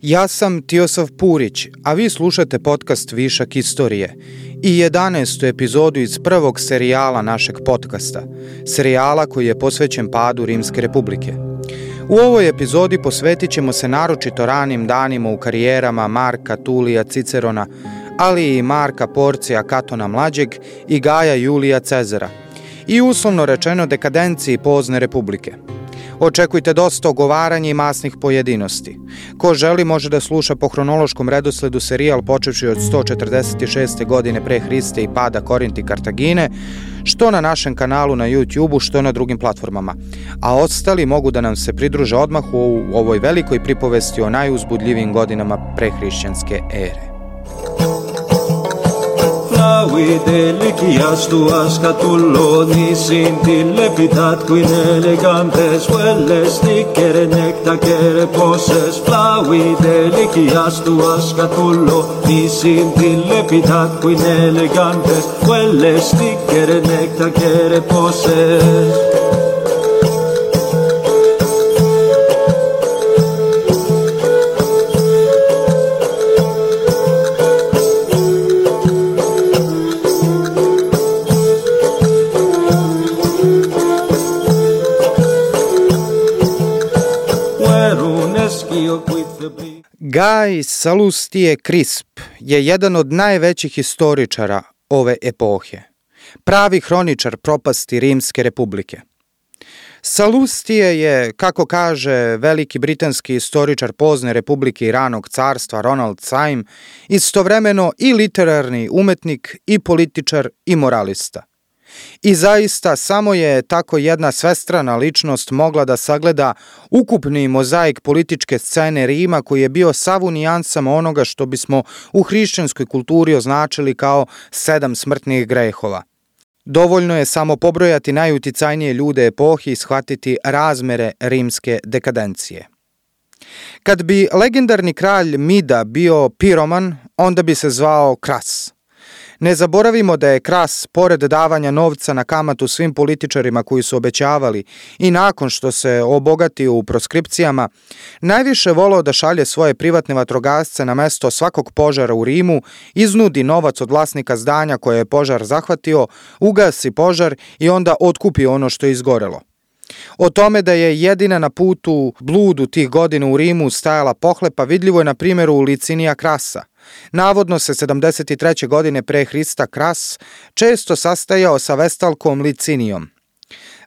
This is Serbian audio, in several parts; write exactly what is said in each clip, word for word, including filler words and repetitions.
Ja sam Tiosav Purić, a vi slušate podcast Višak istorije i jedanaestu epizodu iz prvog serijala našeg podcasta, serijala koji je posvećen padu Rimske republike. U ovoj epizodi posvetit ćemo se naročito ranim danima u karijerama Marka Tulija Cicerona, ali i Marka Porcija Katona Mlađeg i Gaja Julija Cezara i uslovno rečeno dekadenciji pozne republike. Očekujte dosta ogovaranja i masnih pojedinosti. Ko želi može da sluša po hronološkom redosledu serijal počevši od sto četrdeset šeste. godine pre Hriste i pada Korinti Kartagine, što na našem kanalu na YouTubeu, što na drugim platformama. A ostali mogu da nam se pridruže odmah u ovoj velikoj pripovesti o najuzbudljivijim godinama prehrišćanske ere. Delicias tuas catuloni sintilepitat quin elegantes hueles nicere necta quere poses flavi delicias tuas catuloni sintilepitat quin elegantes hueles nicere necta quere poses. Gaj Salustije Crisp je jedan od najvećih historičara ove epohe, pravi hroničar propasti Rimske republike. Salustije je, kako kaže veliki britanski historičar pozne republike i ranog carstva Ronald Syme, istovremeno i literarni umetnik, i političar, i moralista. I zaista samo je tako jedna svestrana ličnost mogla da sagleda ukupni mozaik političke scene Rima koji je bio sav u nijansama onoga što bismo u hrišćanskoj kulturi označili kao sedam smrtnih grehova. Dovoljno je samo pobrojati najuticajnije ljude epohi i shvatiti razmere rimske dekadencije. Kad bi legendarni kralj Mida bio piroman, onda bi se zvao Kras. Ne zaboravimo da je Kras, pored davanja novca na kamatu svim političarima koji su obećavali i nakon što se obogatio u proskripcijama, najviše voleo da šalje svoje privatne vatrogasce na mesto svakog požara u Rimu, iznudi novac od vlasnika zdanja koje je požar zahvatio, ugasi požar i onda otkupi ono što je izgorelo. O tome da je jedina na putu bludu tih godina u Rimu stajala pohlepa vidljivo je na primjeru Licinija Krasa. Navodno se sedamdeset treće. godine pre Hrista Kras često sastajao sa vestalkom Licinijom.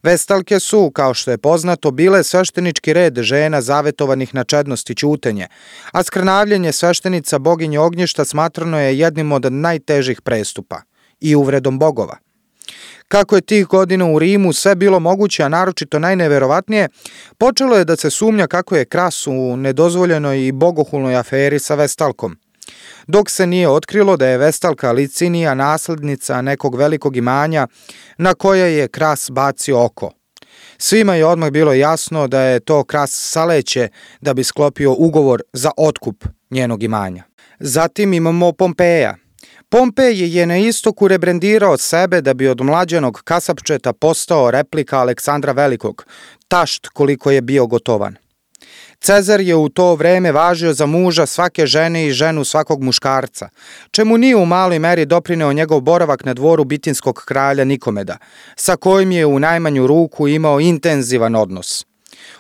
Vestalke su, kao što je poznato, bile sveštenički red žena zavetovanih na čednost i ćutenje, a skrnavljenje sveštenica boginje ognjišta smatrano je jednim od najtežih prestupa i uvredom bogova. Kako je tih godina u Rimu sve bilo moguće, a naročito najneverovatnije, počelo je da se sumnja kako je Kras u nedozvoljenoj i bogohulnoj aferi sa vestalkom. Dok se nije otkrilo da je vestalka Licinija naslednica nekog velikog imanja na koje je Kras bacio oko. Svima je odmah bilo jasno da je to Kras saleće da bi sklopio ugovor za otkup njenog imanja. Zatim imamo Pompeja. Pompej je na istoku rebrendirao sebe da bi od mlađenog kasapčeta postao replika Aleksandra Velikog, tašt koliko je bio gotovan. Cezar je u to vreme važio za muža svake žene i ženu svakog muškarca, čemu nije u maloj meri doprineo njegov boravak na dvoru bitinskog kralja Nikomeda, sa kojim je u najmanju ruku imao intenzivan odnos.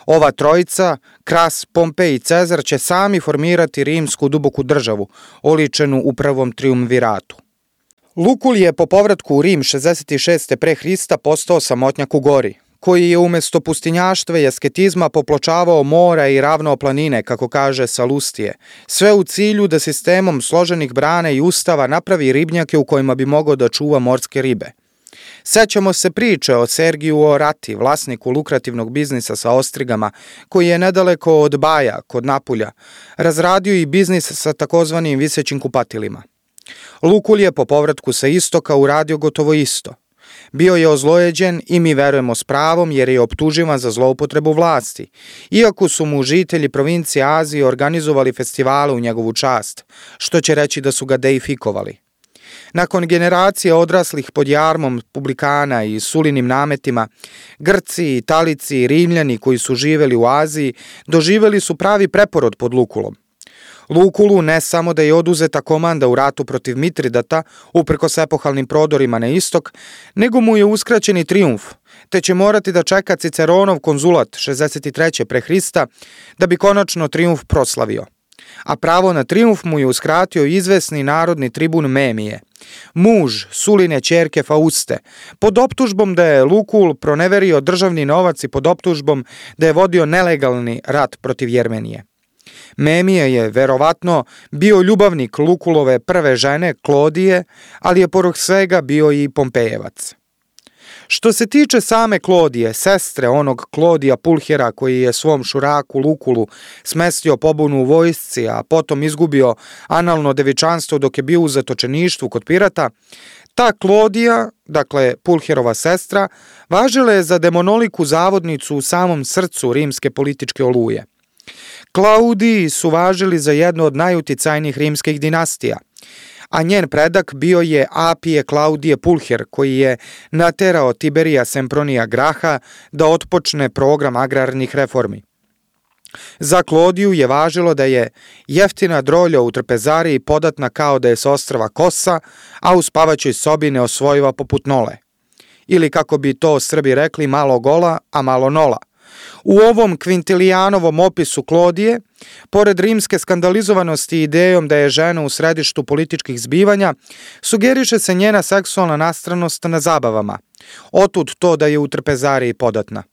Ova trojica, Kras, Pompej i Cezar, će sami formirati rimsku duboku državu, oličenu u prvom triumviratu. Lukulj je po povratku u Rim šezdeset šeste. pre Hrista postao samotnjak u gori, koji je umjesto pustinjaštva i asketizma popločavao mora i ravno planine, kako kaže Salustije, sve u cilju da sistemom složenih brana i ustava napravi ribnjake u kojima bi mogao da čuva morske ribe. Sećamo se priče o Sergiju Orati, vlasniku lukrativnog biznisa sa ostrigama, koji je nedaleko od Baja, kod Napulja, razradio i biznis sa takozvanim visećim kupatilima. Lukulj je po povratku sa istoka uradio gotovo isto. Bio je ozlojeđen i mi verujemo s pravom jer je optuživan za zloupotrebu vlasti, iako su mu žitelji provincije Azije organizovali festivale u njegovu čast, što će reći da su ga deifikovali. Nakon generacije odraslih pod jarmom publikana i sulinim nametima, Grci, Italici i Rimljani koji su živeli u Aziji doživeli su pravi preporod pod Lukulom. Lukulu ne samo da je oduzeta komanda u ratu protiv Mitridata, uprkos epohalnim prodorima na istok, nego mu je uskraćen i trijumf, te će morati da čeka Ciceronov konzulat šezdeset treće pre Hrista da bi konačno trijumf proslavio. A pravo na trijumf mu je uskratio izvesni narodni tribun Memije, muž Suline ćerke Fauste, pod optužbom da je Lukul proneverio državni novac i pod optužbom da je vodio nelegalni rat protiv Jermenije. Memije je verovatno bio ljubavnik Lukulove prve žene Klodije, ali je pored svega bio i Pompejevac. Što se tiče same Klodije, sestre onog Klodija Pulhera koji je svom šuraku Lukulu smestio pobunu u vojsci, a potom izgubio analno devičanstvo dok je bio u zatočeništvu kod pirata, ta Klodija, dakle Pulherova sestra, važila je za demonoliku zavodnicu u samom srcu rimske političke oluje. Klaudiji su važili za jednu od najuticajnijih rimskih dinastija, a njen predak bio je Apije Klaudije Pulher, koji je naterao Tiberija Sempronija Graha da otpočne program agrarnih reformi. Za Klodiju je važilo da je jeftina drolja u trpezariji podatna kao da je s ostrva Kosa, a u spavaćoj sobi neosvojiva poput nole. Ili kako bi to Srbi rekli, malo gola, a malo nola. U ovom Kvintilijanovom opisu Klodije, pored rimske skandalizovanosti idejom da je žena u središtu političkih zbivanja, sugeriše se njena seksualna nastranost na zabavama. Otud to da je u trpezariji podatna.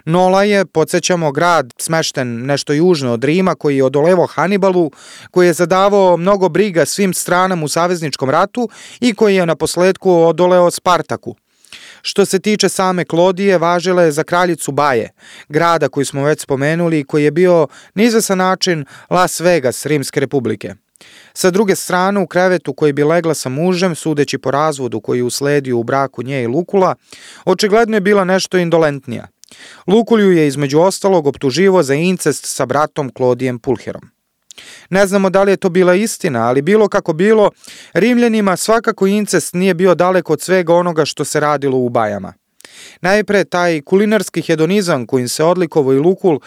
Nola je, podsjećamo, grad smešten nešto južno od Rima koji je odolevo Hanibalu, koji je zadavao mnogo briga svim stranama u savezničkom ratu i koji je na posledku odoleo Spartaku. Što se tiče same Klodije, važila je za kraljicu Baje, grada koji smo već spomenuli i koji je bio na izvesan način Las Vegas Rimske republike. Sa druge strane, u krevetu koji bi legla sa mužem, sudeći po razvodu koji je usledio u braku nje i Lukula, očigledno je bila nešto indolentnija. Lukulju je između ostalog optuživo za incest sa bratom Klodijem Pulherom. Ne znamo da li je to bila istina, ali bilo kako bilo, Rimljanima svakako incest nije bio daleko od svega onoga što se radilo u bajama. Najpre, taj kulinarski hedonizam kojim se odlikovao i Lukul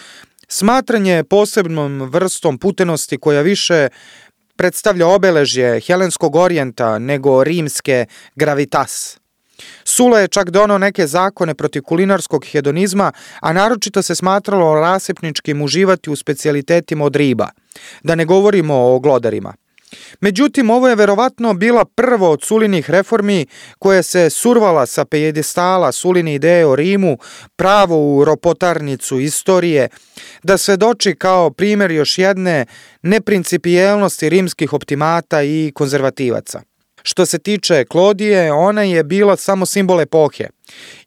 smatran je posebnom vrstom putenosti koja više predstavlja obeležje helenskog orijenta nego rimske gravitas. Sula je čak donao neke zakone protiv kulinarskog hedonizma, a naročito se smatralo rasipničkim uživati u specijalitetima od riba, da ne govorimo o glodarima. Međutim, ovo je verovatno bila prva od Sulinih reformi koja se survala sa pijedestala Suline ideje o Rimu pravo u ropotarnicu istorije, da svedoči kao primjer još jedne neprincipijelnosti rimskih optimata i konzervativaca. Što se tiče Klodije, ona je bila samo simbol epohe.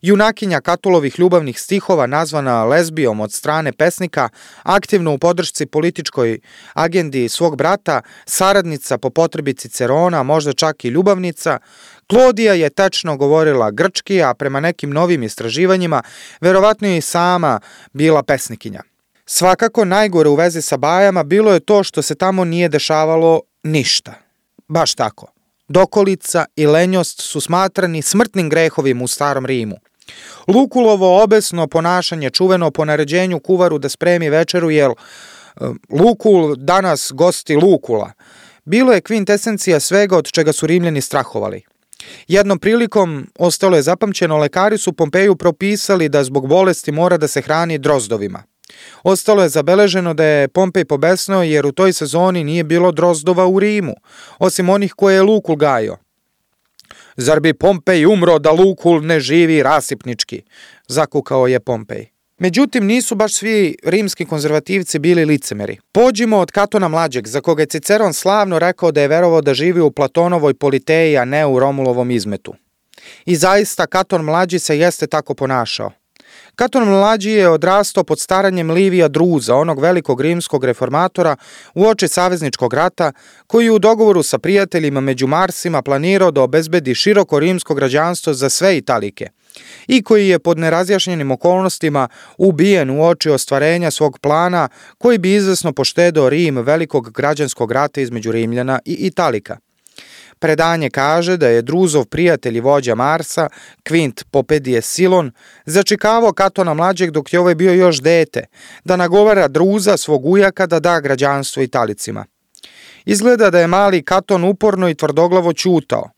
Junakinja Katulovih ljubavnih stihova, nazvana lezbijom od strane pesnika, aktivno u podršci političkoj agendi svog brata, saradnica po potrebi Cicerona, možda čak i ljubavnica, Klodija je tečno govorila grčki, a prema nekim novim istraživanjima, verovatno je i sama bila pesnikinja. Svakako najgore u vezi sa bajama bilo je to što se tamo nije dešavalo ništa. Baš tako. Dokolica i lenjost su smatrani smrtnim grehovima u starom Rimu. Lukulovo obesno ponašanje čuveno po naređenju kuvaru da spremi večeru, jer Lukul danas gosti Lukula, bilo je kvintesencija svega od čega su Rimljani strahovali. Jednom prilikom, ostalo je zapamćeno, lekari su Pompeju propisali da zbog bolesti mora da se hrani drozdovima. Ostalo je zabeleženo da je Pompej pobesnao jer u toj sezoni nije bilo drozdova u Rimu, osim onih koje je Lukul gajio. Zar bi Pompej umro da Lukul ne živi rasipnički, zakukao je Pompej. Međutim, nisu baš svi rimski konzervativci bili licemeri. Pođimo od Katona Mlađeg, za koga je Ciceron slavno rekao da je verovao da živi u Platonovoj Politeji, a ne u Romulovom izmetu. I zaista, Katon Mlađi se jeste tako ponašao. Katon Mlađi je odrastao pod staranjem Livija Druza, onog velikog rimskog reformatora uoči savezničkog rata, koji je u dogovoru sa prijateljima među Marsima planirao da obezbedi široko rimsko građanstvo za sve Italike i koji je pod nerazjašnjenim okolnostima ubijen uoči ostvarenja svog plana koji bi izvesno poštedeo Rim velikog građanskog rata između Rimljana i Italika. Predanje kaže da je Druzov prijatelj i vođa Marsa, Kvint Popedije Silon, začekavao Katona Mlađeg dok je ovaj bio još dete, da nagovara Druza svog ujaka da da građanstvo Italicima. Izgleda da je mali Katon uporno i tvrdoglavo ćutao.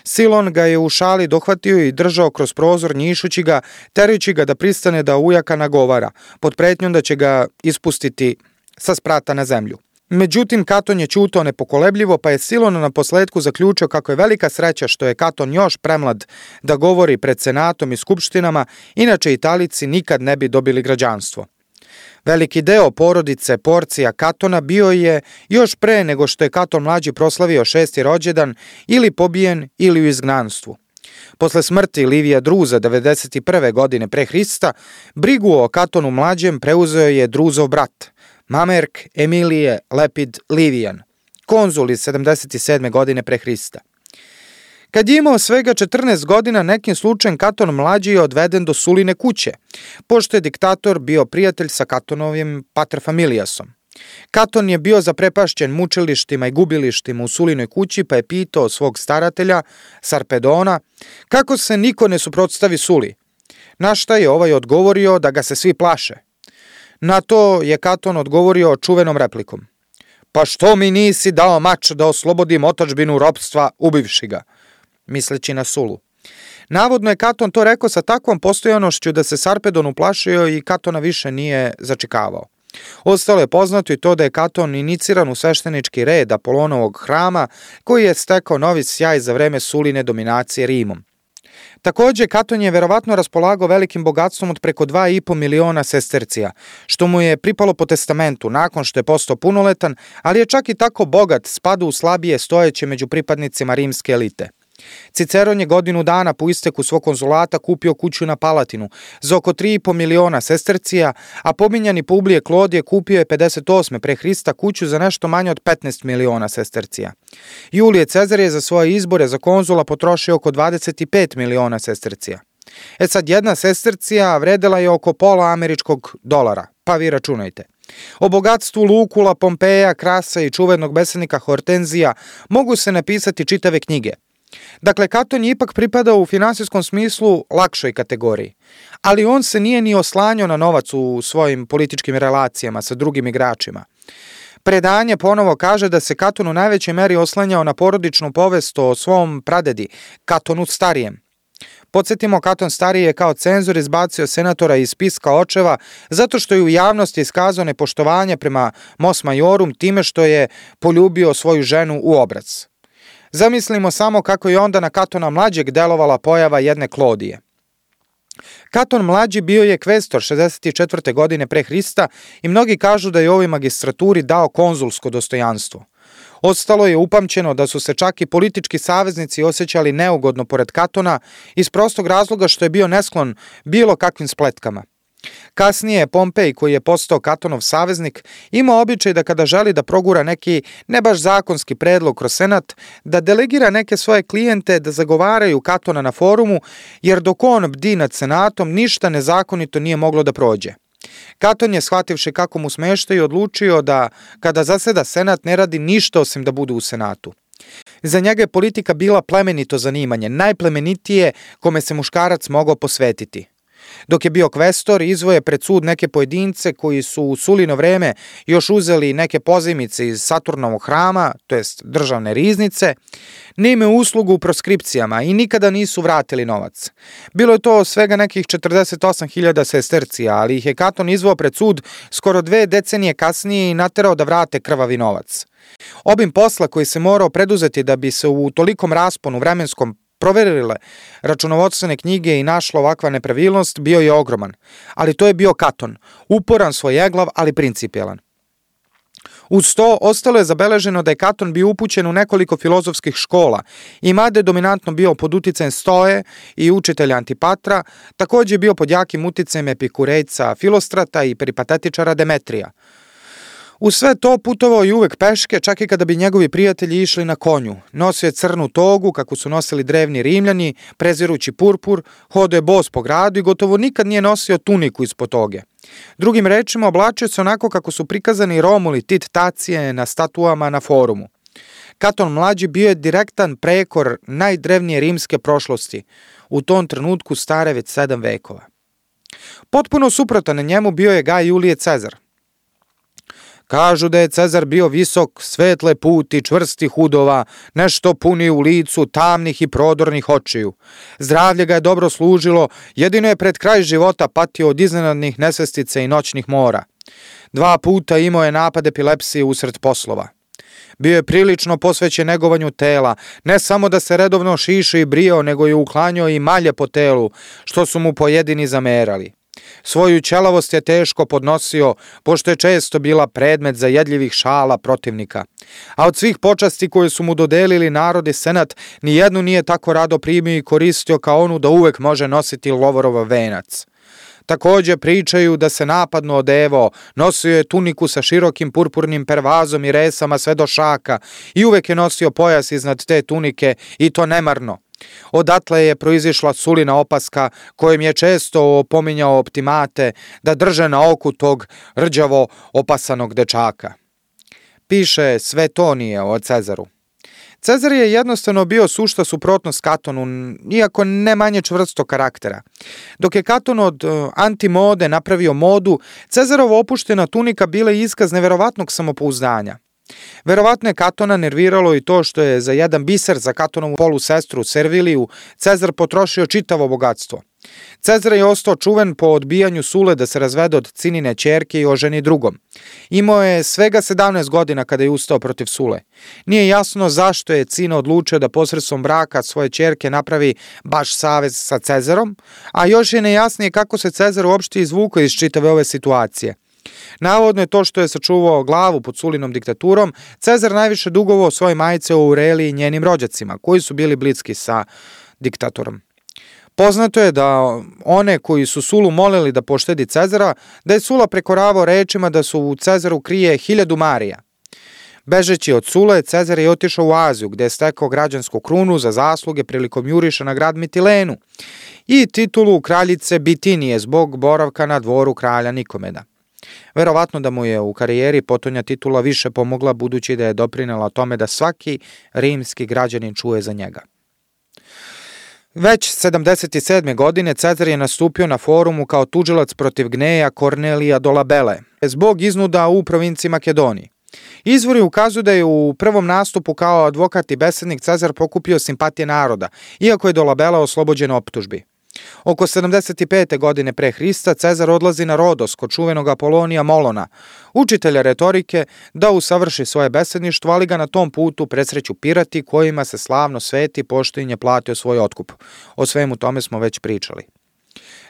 Silon ga je u šali dohvatio i držao kroz prozor, njišući ga, terajući ga da pristane da ujaka nagovara, pod pretnjom da će ga ispustiti sa sprata na zemlju. Međutim, Katon je ćutao nepokolebljivo, pa je Silon na posledku zaključio kako je velika sreća što je Katon još premlad da govori pred senatom i skupštinama, inače Italici nikad ne bi dobili građanstvo. Veliki deo porodice Porcija Katona bio je još pre nego što je Katon mlađi proslavio šesti rođendan ili pobijen ili u izgnanstvu. Posle smrti Livija Druza devedeset prve godine pre Hrista, brigu o Katonu mlađem preuzeo je Druzov brat, Mamerk Emilije Lepid Livijan, konzul iz sedamdeset sedme godine pre Hrista. Kad je imao svega četrnaest godina, nekim slučajem Katon mlađi je odveden do Suline kuće, pošto je diktator bio prijatelj sa Katonovim paterfamilijasom. Katon je bio zaprepašćen mučilištima i gubilištima u Sulinoj kući, pa je pitao svog staratelja, Sarpedona, kako se niko ne suprotstavi Suli. Na šta je ovaj odgovorio da ga se svi plaše. Na to je Katon odgovorio čuvenom replikom. Pa što mi nisi dao mač da oslobodim otadžbinu ropstva ubivši ga, misleći na Sulu. Navodno je Katon to rekao sa takvom postojanošću da se Sarpedon uplašio i Katona više nije začekavao. Ostalo je poznato i to da je Katon iniciran u sveštenički red Apolonovog hrama, koji je stekao novi sjaj za vreme Suline dominacije Rimom. Takođe, Katon je verovatno raspolagao velikim bogatstvom od preko dva i po miliona sestercija, što mu je pripalo po testamentu nakon što je postao punoletan, ali je čak i tako bogat spadao u slabije stojeće među pripadnicima rimske elite. Ciceron je godinu dana po isteku svog konzulata kupio kuću na Palatinu za oko tri i po miliona sestercija, a pominjani Publije Klodije kupio je pedeset osme pre Hrista kuću za nešto manje od petnaest miliona sestercija. Julije Cezar je za svoje izbore za konzula potrošio oko dvadeset pet miliona sestercija. E sad, jedna sestercija vredela je oko pola američkog dolara, pa vi računajte. O bogatstvu Lukula, Pompeja, Krasa i čuvenog besednika Hortenzija mogu se napisati čitave knjige. Dakle, Katon je ipak pripadao u finansijskom smislu lakšoj kategoriji, ali on se nije ni oslanjao na novac u svojim političkim relacijama sa drugim igračima. Predanje ponovo kaže da se Katon u najvećoj meri oslanjao na porodičnu povest o svom pradedi, Katonu Starijem. Podsjetimo, Katon Stariji je kao cenzor izbacio senatora iz spiska očeva zato što je u javnosti iskazao nepoštovanje prema Mos Majorum time što je poljubio svoju ženu u obrac. Zamislimo samo kako je onda na Katona mlađeg delovala pojava jedne Klodije. Katon mlađi bio je kvestor šezdeset četvrte godine pre Hrista i mnogi kažu da je ovoj magistraturi dao konzulsko dostojanstvo. Ostalo je upamćeno da su se čak i politički saveznici osjećali neugodno pored Katona iz prostog razloga što je bio nesklon bilo kakvim spletkama. Kasnije Pompej, koji je postao Katonov saveznik, imao običaj da kada želi da progura neki ne baš zakonski predlog kroz senat, da delegira neke svoje klijente da zagovaraju Katona na forumu, jer dok on bdi nad senatom, ništa nezakonito nije moglo da prođe. Katon je, shvativši kako mu smeštaju, odlučio da kada zaseda senat ne radi ništa osim da bude u senatu. Za njega je politika bila plemenito zanimanje, najplemenitije kome se muškarac mogao posvetiti. Dok je bio kvestor, izvoje pred sud neke pojedince koji su u Sulino vreme još uzeli neke pozajmice iz Saturnovog hrama, to jest državne riznice, ne imaju uslugu u proskripcijama i nikada nisu vratili novac. Bilo je to svega nekih četrdeset osam hiljada sestercija, ali ih je Katon izveo pred sud skoro dve decenije kasnije i naterao da vrate krvavi novac. Obim posla koji se morao preduzeti da bi se u tolikom rasponu vremenskom proverile računovodstvene knjige i našla ovakva nepravilnost bio je ogroman, ali to je bio Katon, uporan, svojeglav, ali principijelan. Uz to, ostalo je zabeleženo da je Katon bio upućen u nekoliko filozofskih škola i mada je dominantno bio pod uticajem Stoje i učitelja Antipatra, takođe je bio pod jakim uticajem Epikurejca Filostrata i peripatetičara Demetrija. U sve to putovao i uvek peške, čak i kada bi njegovi prijatelji išli na konju. Nosio je crnu togu, kako su nosili drevni Rimljani, prezirući purpur, hodao je bos po gradu i gotovo nikad nije nosio tuniku ispod toge. Drugim rečima, oblačio se onako kako su prikazani Romuli, Tit, Tacije na statuama na forumu. Katon mlađi bio je direktan prekor najdrevnije rimske prošlosti, u tom trenutku stare već sedam vekova. Potpuno suprotan njemu bio je Gaj Julije Cezar. Kažu da je Cezar bio visok, svetle puti, čvrstih udova, nešto puni u licu, tamnih i prodornih očiju. Zdravlje ga je dobro služilo, jedino je pred kraj života patio od iznenadnih nesvestice i noćnih mora. Dva puta imao je napad epilepsije usred poslova. Bio je prilično posvećen negovanju tela, ne samo da se redovno šišao i brijao, nego je uklanjao i malje po telu, što su mu pojedini zamerali. Svoju ćelavost je teško podnosio, pošto je često bila predmet zajedljivih šala protivnika. A od svih počasti koje su mu dodelili narod i senat, nijednu nije tako rado primio i koristio kao onu da uvek može nositi lovorov venac. Također pričaju da se napadno odevao, nosio je tuniku sa širokim purpurnim pervazom i resama sve do šaka i uvek je nosio pojas iznad te tunike i to nemarno. Odatle je proizišla sulina opaska kojim je često opominjao optimate da drže na oku tog rđavo opasanog dečaka. Piše Svetonije o Cezaru. Cezar je jednostavno bio sušta suprotnost Katonu, iako ne manje čvrsto karaktera. Dok je Katon od antimode napravio modu, Cezarova opuštena tunika bila je iskaz neverovatnog samopouzdanja. Verovatno je Katona nerviralo i to što je za jedan biser za Katonovu polusestru Serviliju Cezar potrošio čitavo bogatstvo. Cezar je ostao čuven po odbijanju Sule da se razvede od Cinine ćerke i oženi drugom. Imao je svega sedamnaest godina kada je ustao protiv Sule. Nije jasno zašto je Cina odlučio da posredstvom braka svoje ćerke napravi baš savez sa Cezarom, a još je nejasnije kako se Cezar uopšte izvukao iz čitave ove situacije. Navodno je to što je sačuvao glavu pod Sulinom diktaturom, Cezar najviše dugovao svoje majice o Aureliji i njenim rođacima, koji su bili bliski sa diktatorom. Poznato je da one koji su Sulu molili da poštedi Cezara, da je Sula prekoravao rečima da su u Cezaru krije hiljadu marija. Bežeći od Sule, Cezar je otišao u Aziju, gde je stekao građansku krunu za zasluge prilikom juriša na grad Mitilenu i titulu kraljice Bitinije zbog boravka na dvoru kralja Nikomeda. Verovatno da mu je u karijeri potonja titula više pomogla, budući da je doprinela tome da svaki rimski građanin čuje za njega. Već sedamdeset sedme. godine Cezar je nastupio na forumu kao tužilac protiv Gneja Kornelija Dolabele zbog iznuda u provinciji Makedoniji. Izvori ukazuju da je u prvom nastupu kao advokat i besednik Cezar pokupio simpatije naroda, iako je Dolabela oslobođen optužbi. Oko sedamdeset pete. godine pre Hrista Cezar odlazi na Rodos kod čuvenog Apolonija Molona, učitelja retorike, da usavrši svoje besedništvo, ali ga na tom putu presreću pirati kojima se slavno sveti pošto im je platio svoj otkup. O svemu tome smo već pričali.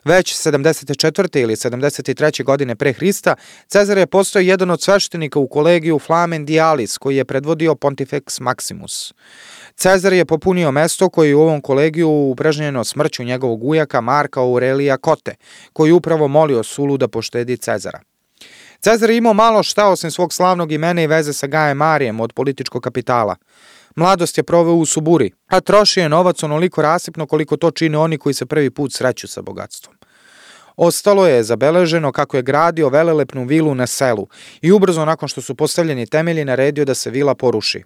Već sedamdeset četvrte. ili sedamdeset treće. godine pre Hrista Cezar je postao jedan od sveštenika u kolegiju Flamen Dialis, koji je predvodio Pontifex Maximus. Cezar je popunio mesto koje je u ovom kolegiju upražnjeno smrću njegovog ujaka Marka Aurelija Kote, koji upravo molio Sulu da poštedi Cezara. Cezar je imao malo šta osim svog slavnog imena i veze sa Gajem Marijem od političkog kapitala. Mladost je proveo u Suburi, a trošio je novac onoliko rasipno koliko to čine oni koji se prvi put sreću sa bogatstvom. Ostalo je zabeleženo kako je gradio velelepnu vilu na selu i ubrzo nakon što su postavljeni temelji naredio da se vila poruši.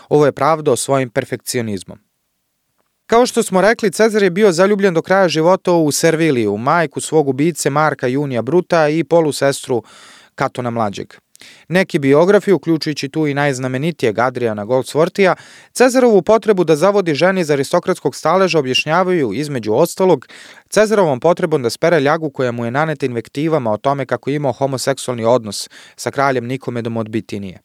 Ovo je pravdao svojim perfekcionizmom. Kao što smo rekli, Cezar je bio zaljubljen do kraja života u Serviliju, majku svog ubice Marka Junija Bruta i polusestru Katona Mlađeg. Neki biografi, uključujući tu i najznamenitijeg Adriana Goldsworthija, Cezarovu potrebu da zavodi ženi iz aristokratskog staleža objašnjavaju, između ostalog, Cezarovom potrebom da spere ljagu koja mu je naneta invektivama o tome kako je imao homoseksualni odnos sa kraljem Nikomedom od Bitinije.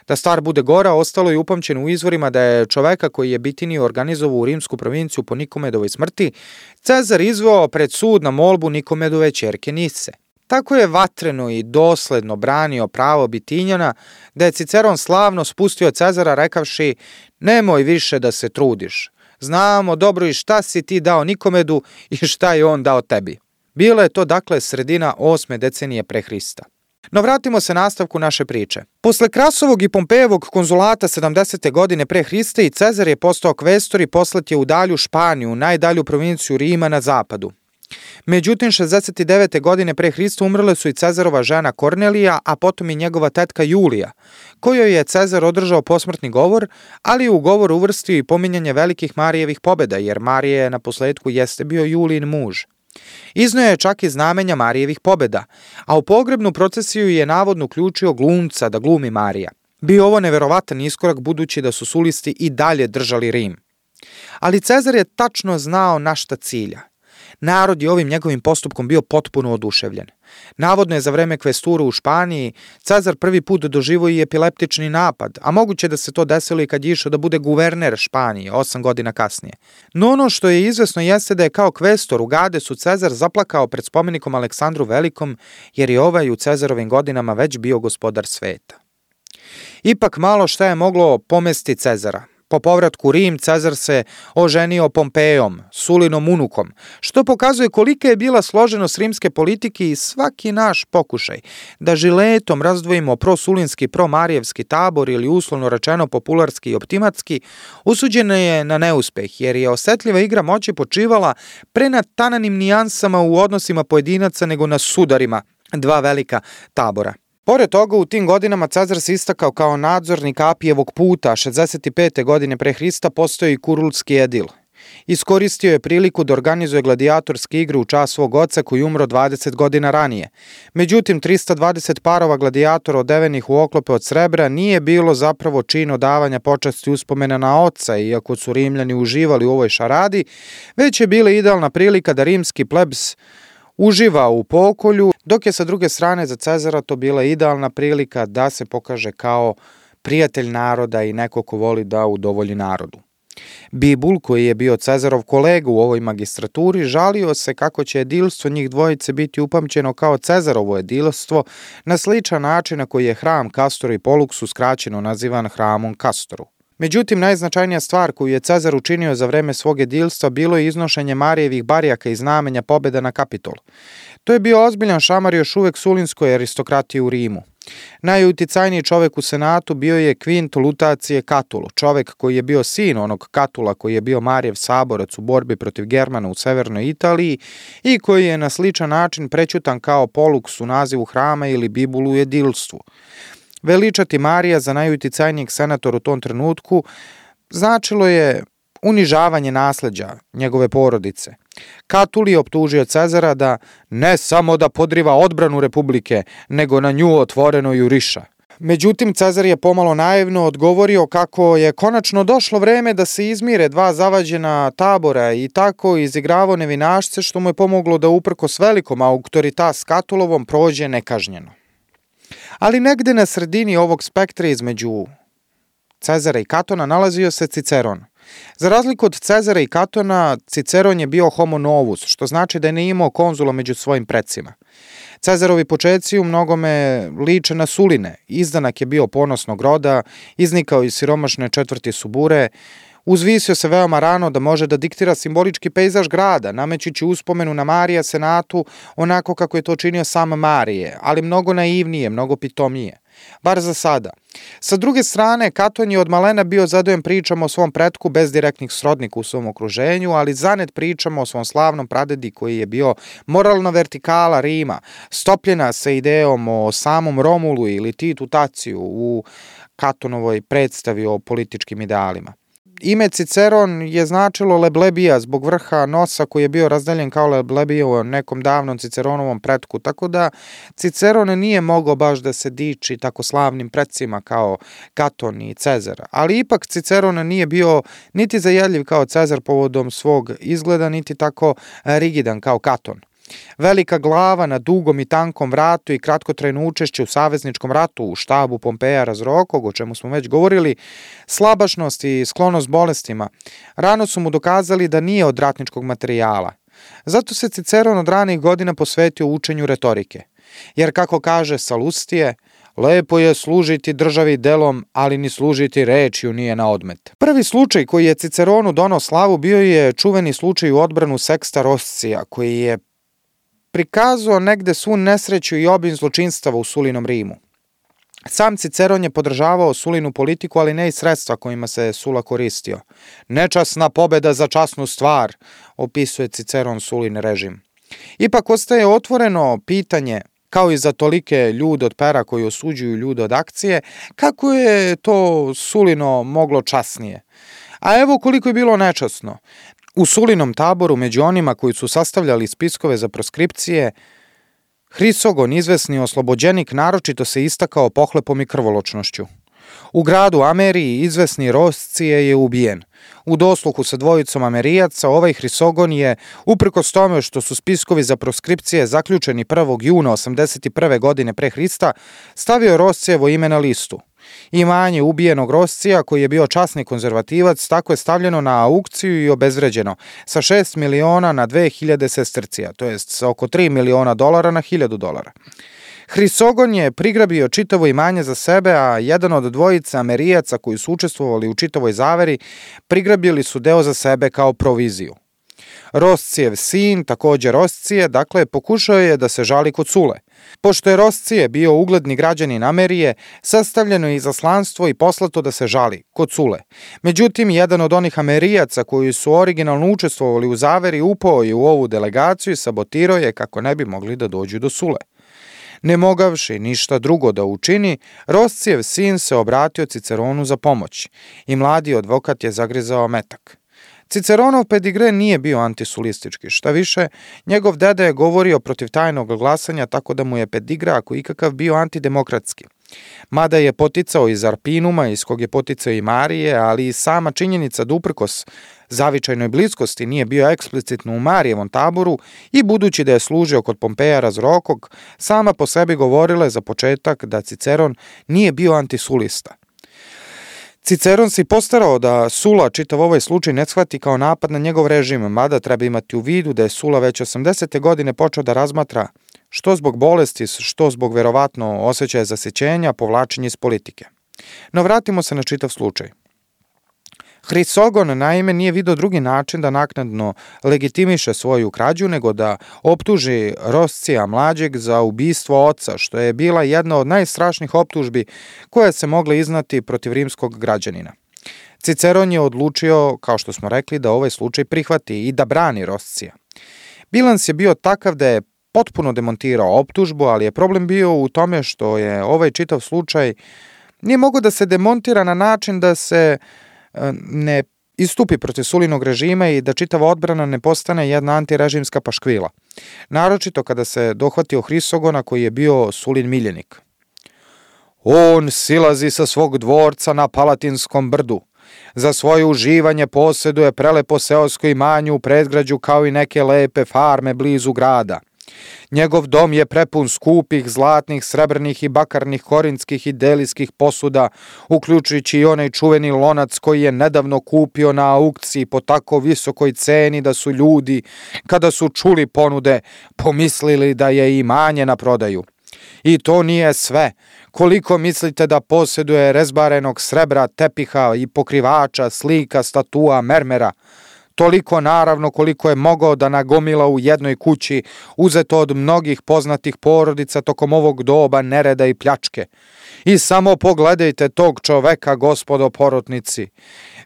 Da stvar bude gora, ostalo je upamćeno u izvorima da je čoveka koji je Bitiniju organizovao u rimsku provinciju po Nikomedovoj smrti, Cezar izveo pred sud na molbu Nikomedove ćerke Nise. Tako je vatreno i dosledno branio pravo Bitinjana da je Ciceron slavno spustio Cezara rekavši: nemoj više da se trudiš, znamo dobro i šta si ti dao Nikomedu i šta je on dao tebi. Bila je to dakle sredina osme decenije pre Hrista. No vratimo se nastavku naše priče. Posle Krasovog i Pompejevog konzulata sedamdesete. godine pre Hrista i Cezar je postao kvestor i poslat je u dalju Španiju, najdalju provinciju Rima na zapadu. Međutim, šezdeset devete. godine pre Hrista umrle su i Cezarova žena Kornelija, a potom i njegova tetka Julija, kojoj je Cezar održao posmrtni govor, ali u govor uvrstio i pominjanje velikih Marijevih pobjeda, jer Marije na posledku jeste bio Julijin muž. Iznio je čak i znamenja Marijevih pobjeda, a u pogrebnu procesiju je navodno uključio glumca da glumi Marija. Bio ovo neverovatan iskorak budući da su sulisti i dalje držali Rim. Ali Cezar je tačno znao na šta cilja. Narod je ovim njegovim postupkom bio potpuno oduševljen. Navodno je za vreme kvesturu u Španiji Cezar prvi put doživio i epileptični napad, a moguće da se to desilo i kad je išao da bude guverner Španije osam godina kasnije. No ono što je izvesno jeste da je kao kvestor u Gadesu Cezar zaplakao pred spomenikom Aleksandru Velikom, jer je ovaj u Cezarovim godinama već bio gospodar sveta. Ipak malo šta je moglo pomesti Cezara. Po povratku u Rim, Cezar se oženio Pompejom, Sulinom unukom, što pokazuje kolika je bila složenost rimske politike i svaki naš pokušaj da žiletom razdvojimo prosulinski i promarijevski tabor ili uslovno rečeno popularski i optimatski, usuđena je na neuspeh, jer je osetljiva igra moći počivala pre na tananim nijansama u odnosima pojedinaca nego na sudarima dva velika tabora. Pored toga, u tim godinama Cezar se istakao kao nadzornik Apijevog puta, a šezdeset pete godine pre Hrista postao i kurulski edil. Iskoristio je priliku da organizuje gladijatorske igre u čast svog oca koji umro dvadeset godina ranije. Međutim, trista dvadeset parova gladijatora odevenih u oklope od srebra nije bilo zapravo čin odavanja počasti uspomena na oca, iako su Rimljani uživali u ovoj šaradi, već je bila idealna prilika da rimski plebs uživa u pokolju, dok je sa druge strane za Cezara to bila idealna prilika da se pokaže kao prijatelj naroda i neko ko voli da udovolji narodu. Bibul, koji je bio Cezarov kolega u ovoj magistraturi, žalio se kako će edilstvo njih dvojice biti upamćeno kao Cezarovo edilstvo na sličan način na koji je hram Kastoru i Poluksu skraćeno nazivan hramom Kastoru. Međutim, najznačajnija stvar koju je Cezar učinio za vreme svog edilstva bilo je iznošenje Marijevih barjaka i znamenja pobjeda na Kapitol. To je bio ozbiljan šamar još uvek sulinskoj aristokratiji u Rimu. Najuticajniji čovek u senatu bio je Kvint Lutacije Katul, čovek koji je bio sin onog Katula koji je bio Marijev saborac u borbi protiv Germana u severnoj Italiji i koji je na sličan način prećutan kao Poluks u nazivu hrama ili Bibulu u edilstvu. Veličati Marija za najuticajnijeg senatora u tom trenutku značilo je unižavanje nasleđa njegove porodice. Katul je optužio Cezara da ne samo da podriva odbranu Republike, nego na nju otvoreno juriša. Međutim, Cezar je pomalo naivno odgovorio kako je konačno došlo vreme da se izmire dva zavađena tabora i tako izigravao nevinašce, što mu je pomoglo da uprkos velikom autoritas Katulovom prođe nekažnjeno. Ali negde na sredini ovog spektra između Cezara i Katona nalazio se Ciceron. Za razliku od Cezara i Katona, Ciceron je bio homo novus, što znači da je ne imao konzula među svojim predsima. Cezarovi počeci u mnogome liče na Suline. Izdanak je bio ponosnog roda, iznikao iz siromašne četvrti Subure, uzvisio se veoma rano da može da diktira simbolički pejzaž grada, namećući uspomenu na Marija senatu onako kako je to činio sam Marije, ali mnogo naivnije, mnogo pitomije. Bar za sada. Sa druge strane, Katon je od malena bio zadojen pričama o svom pretku bez direktnih srodnika u svom okruženju, ali zanet pričama o svom slavnom pradedi koji je bio moralna vertikala Rima, stopljena sa idejom o samom Romulu ili Titu Taciju u Katonovoj predstavi o političkim idealima. Ime Ciceron je značilo leblebija zbog vrha nosa koji je bio razdeljen kao leblebija u nekom davnom Ciceronovom pretku, tako da Ciceron nije mogao baš da se diči tako slavnim predsima kao Katon i Cezar, ali ipak Ciceron nije bio niti zajedljiv kao Cezar povodom svog izgleda, niti tako rigidan kao Katon. Velika glava na dugom i tankom vratu i kratkotrajno učešće u savezničkom ratu u štabu Pompeja Razorokog, o čemu smo već govorili, slabašnost i sklonost bolestima, rano su mu dokazali da nije od ratničkog materijala. Zato se Ciceron od ranih godina posvetio učenju retorike. Jer, kako kaže Salustije, lepo je služiti državi delom, ali ni služiti rečju nije na odmet. Prvi slučaj koji je Ciceronu donao slavu bio je čuveni slučaj u odbranu Sexta Roscija, koji je prikazao negde svu nesreću i obim zločinstava u Sulinom Rimu. Sam Ciceron je podržavao Sulinu politiku, ali ne i sredstva kojima se Sula koristio. Nečasna pobeda za časnu stvar, opisuje Ciceron Sulin režim. Ipak ostaje otvoreno pitanje, kao i za tolike ljude od pera koji osuđuju ljude od akcije, kako je to Sulino moglo časnije. A evo koliko je bilo nečasno. U Sulinom taboru, među onima koji su sastavljali spiskove za proskripcije, Hrisogon, izvesni oslobođenik, naročito se istakao pohlepom i krvoločnošću. U gradu Ameriji izvesni Roscije je ubijen. U dosluhu sa dvojicom Amerijaca ovaj Hrisogon je, uprkos tome što su spiskovi za proskripcije zaključeni prvog juna osamdeset prve godine pre Hrista, stavio Roscijevo ime na listu. Imanje ubijenog Roscija, koji je bio časni konzervativac, tako je stavljeno na aukciju i obezvređeno sa šest miliona na dve hiljade sestercija, to jest sa oko tri miliona dolara na hiljadu dolara. Hrisogon je prigrabio čitavo imanje za sebe, a jedan od dvojice Amerijaca koji su učestvovali u čitavoj zaveri prigrabili su deo za sebe kao proviziju. Roscijev sin, također Roscije, dakle, pokušao je da se žali kod Sule. Pošto je Roscije bio ugledni građanin Amerije, sastavljeno je izaslanstvo i poslato da se žali kod Sule. Međutim, jedan od onih Amerijaca koji su originalno učestvovali u zaveri upao je u ovu delegaciju i sabotirao je kako ne bi mogli da dođu do Sule. Ne mogavši ništa drugo da učini, Roscijev sin se obratio Ciceronu za pomoć i mladi advokat je zagrizao metak. Ciceronov pedigre nije bio antisulistički, šta više, njegov deda je govorio protiv tajnog glasanja, tako da mu je pedigre ako ikakav bio antidemokratski. Mada je poticao iz Arpinuma, iz kog je poticao i Marije, ali i sama činjenica da uprkos zavičajnoj bliskosti nije bio eksplicitno u Marijevom taboru i budući da je služio kod Pompeja Razorokog, sama po sebi govorila je za početak da Ciceron nije bio antisulista. Ciceron se postarao da Sula čitav ovaj slučaj ne shvati kao napad na njegov režim, mada treba imati u vidu da je Sula već osamdesete godine počeo da razmatra što zbog bolesti, što zbog verovatno osjećaja zasićenja, povlačenje iz politike. No vratimo se na čitav slučaj. Hrisogon naime nije video drugi način da naknadno legitimiše svoju krađu nego da optuži Roscija mlađeg za ubistvo oca, što je bila jedna od najstrašnijih optužbi koja se mogla iznati protiv rimskog građanina. Ciceron je odlučio, kao što smo rekli, da ovaj slučaj prihvati i da brani Roscija. Bilans je bio takav da je potpuno demontirao optužbu, ali je problem bio u tome što je ovaj čitav slučaj nije mogao da se demontira na način da se ne istupi protiv Sulinog režima i da čitava odbrana ne postane jedna antirežimska paškvila. Naročito kada se dohvatio Hrisogona koji je bio Sulin miljenik. On silazi sa svog dvorca na Palatinskom brdu. Za svoje uživanje posjeduje prelepo seosko imanje u predgrađu kao i neke lepe farme blizu grada. Njegov dom je prepun skupih, zlatnih, srebrnih i bakarnih korinskih i delijskih posuda, uključujući i onaj čuveni lonac koji je nedavno kupio na aukciji po tako visokoj ceni da su ljudi, kada su čuli ponude, pomislili da je imanje na prodaju. I to nije sve. Koliko mislite da posjeduje rezbarenog srebra, tepiha i pokrivača, slika, statua, mermera? Toliko naravno koliko je mogao da nagomila u jednoj kući, uzeto od mnogih poznatih porodica tokom ovog doba nereda i pljačke. I samo pogledajte tog čoveka, gospodo porotnici.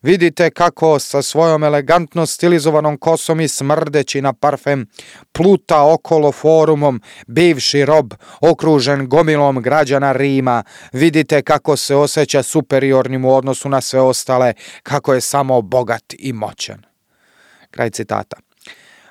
Vidite kako sa svojom elegantno stilizovanom kosom i smrdeći na parfem pluta okolo forumom, bivši rob, okružen gomilom građana Rima. Vidite kako se osjeća superiornim u odnosu na sve ostale, kako je samo bogat i moćan. Kraj citata.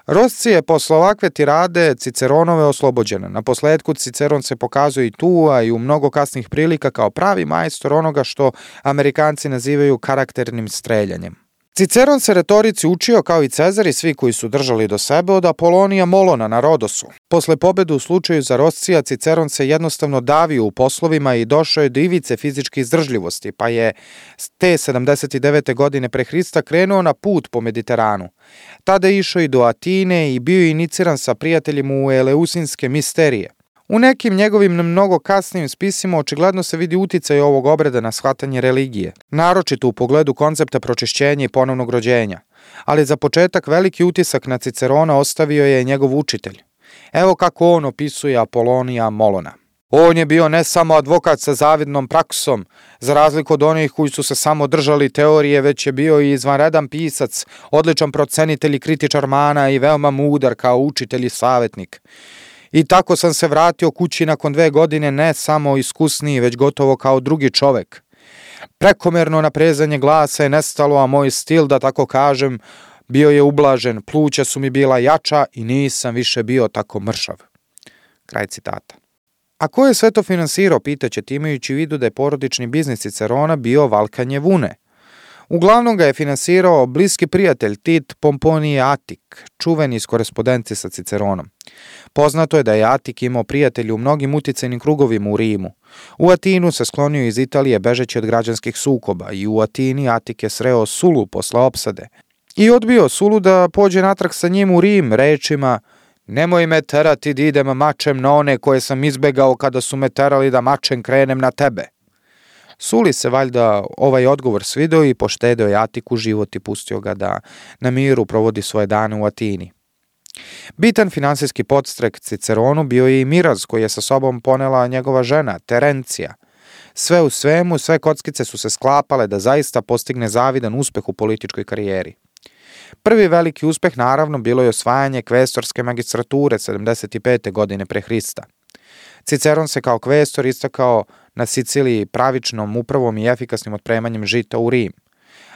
Roscije je posle ovakve tirade Ciceronove oslobođene. Na posledku Ciceron se pokazuje i tu, a i u mnogo kasnih prilika kao pravi majstor onoga što Amerikanci nazivaju karakternim streljanjem. Ciceron se retorici učio kao i Cezar i svi koji su držali do sebe od Apolonija Molona na Rodosu. Posle pobede u slučaju za Roscija, Ciceron se jednostavno davio u poslovima i došao je do ivice fizičke izdržljivosti, pa je te sedamdeset devete godine pre Hrista krenuo na put po Mediteranu. Tada je išao i do Atine i bio je iniciran sa prijateljima u Eleusinske misterije. U nekim njegovim mnogo kasnijim spisima očigledno se vidi uticaj ovog obreda na shvatanje religije, naročito u pogledu koncepta pročišćenja i ponovnog rođenja. Ali za početak veliki utisak na Cicerona ostavio je njegov učitelj. Evo kako on opisuje Apolonija Molona. On je bio ne samo advokat sa zavidnom praksom, za razliku od onih koji su se samo držali teorije, već je bio i izvanredan pisac, odličan procenitelj i kritičar mana i veoma mudar kao učitelj i savjetnik. I tako sam se vratio kući nakon dve godine ne samo iskusniji, već gotovo kao drugi čovek. Prekomerno naprezanje glasa je nestalo, a moj stil, da tako kažem, Bio je ublažen, pluća su mi bila jača i nisam više bio tako mršav. Kraj citata. A ko je sve to finansirao, pitaćete, imajući u vidu da je porodični biznis Cicerona bio valkanje vune. Uglavnom ga je finansirao bliski prijatelj Tit Pomponije Atik, čuveni iz korespondencije sa Ciceronom. Poznato je da je Atik imao prijatelje u mnogim uticajnim krugovima u Rimu. U Atinu se sklonio iz Italije bežeći od građanskih sukoba i u Atini Atik je sreo Sulu posle opsade i odbio Sulu da pođe natrag sa njim u Rim rečima: nemoj me terati da idem mačem na one koje sam izbegao kada su me terali da mačem krenem na tebe. Suli se valjda ovaj odgovor svideo i poštedeo je Atiku život i pustio ga da na miru provodi svoje dane u Atini. Bitan finansijski podstrek Ciceronu bio je i miraz koji je sa sobom ponela njegova žena, Terencija. Sve u svemu, sve kockice su se sklapale da zaista postigne zavidan uspeh u političkoj karijeri. Prvi veliki uspeh naravno bilo je osvajanje kvestorske magistrature sedamdeset pete godine pre Hrista. Ciceron se kao kvestor istakao na Siciliji pravičnom upravom i efikasnim otpremanjem žita u Rim.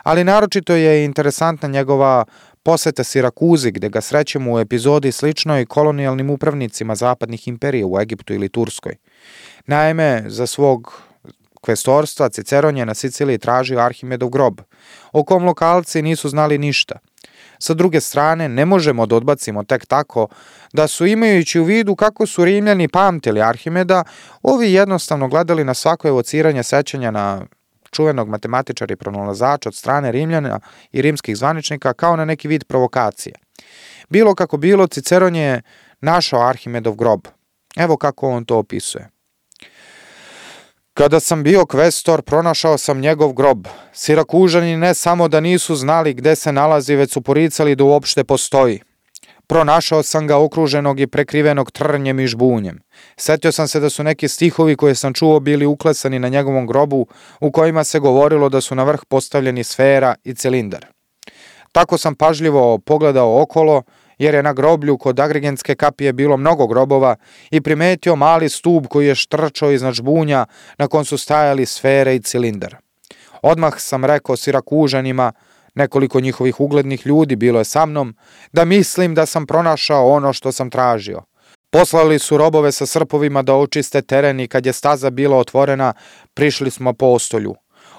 Ali naročito je interesantna njegova poseta Sirakuzi, gde ga srećemo u epizodi sličnoj kolonijalnim upravnicima zapadnih imperija u Egiptu ili Turskoj. Naime, za svog kvestorstva Ciceron je na Siciliji tražio Arhimedov grob, o kom lokalci nisu znali ništa. Sa druge strane, ne možemo da odbacimo tek tako da su, imajući u vidu kako su Rimljani pamtili Arhimeda, ovi jednostavno gledali na svako evociranje sećanja na čuvenog matematičara i pronalazača od strane Rimljana i rimskih zvaničnika kao na neki vid provokacije. Bilo kako bilo, Ciceron je našao Arhimedov grob. Evo kako on to opisuje. Kada sam bio kvestor, pronašao sam njegov grob. Sirakužani ne samo da nisu znali gde se nalazi, već su poricali da uopšte postoji. Pronašao sam ga okruženog i prekrivenog trnjem i žbunjem. Setio sam se da su neki stihovi koje sam čuo bili uklesani na njegovom grobu, u kojima se govorilo da su na vrh postavljeni sfera i cilindar. Tako sam pažljivo pogledao okolo, jer je na groblju kod Agrigentske kapije bilo mnogo grobova, i primetio mali stub koji je štrčao iznad žbunja na kom su stajali sfere i cilindar. Odmah sam rekao Sirakužanima, nekoliko njihovih uglednih ljudi bilo je sa mnom, da mislim da sam pronašao ono što sam tražio. Poslali su robove sa srpovima da očiste teren i kad je staza bila otvorena, prišli smo postolju.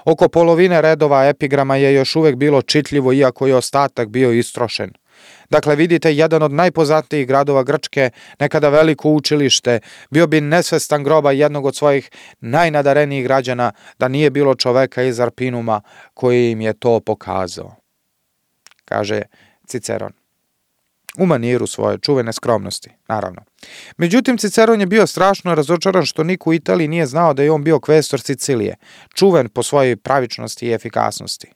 Oko polovine redova epigrama je još uvek bilo čitljivo, iako je ostatak bio istrošen. Dakle, vidite, jedan od najpoznatijih gradova Grčke, nekada veliko učilište, bio bi nesvestan groba jednog od svojih najnadarenijih građana da nije bilo čoveka iz Arpinuma koji im je to pokazao, kaže Ciceron. U maniru svoje čuvene skromnosti, naravno. Međutim, Ciceron je bio strašno razočaran što niko u Italiji nije znao da je on bio kvestor Sicilije, čuven po svojoj pravičnosti i efikasnosti.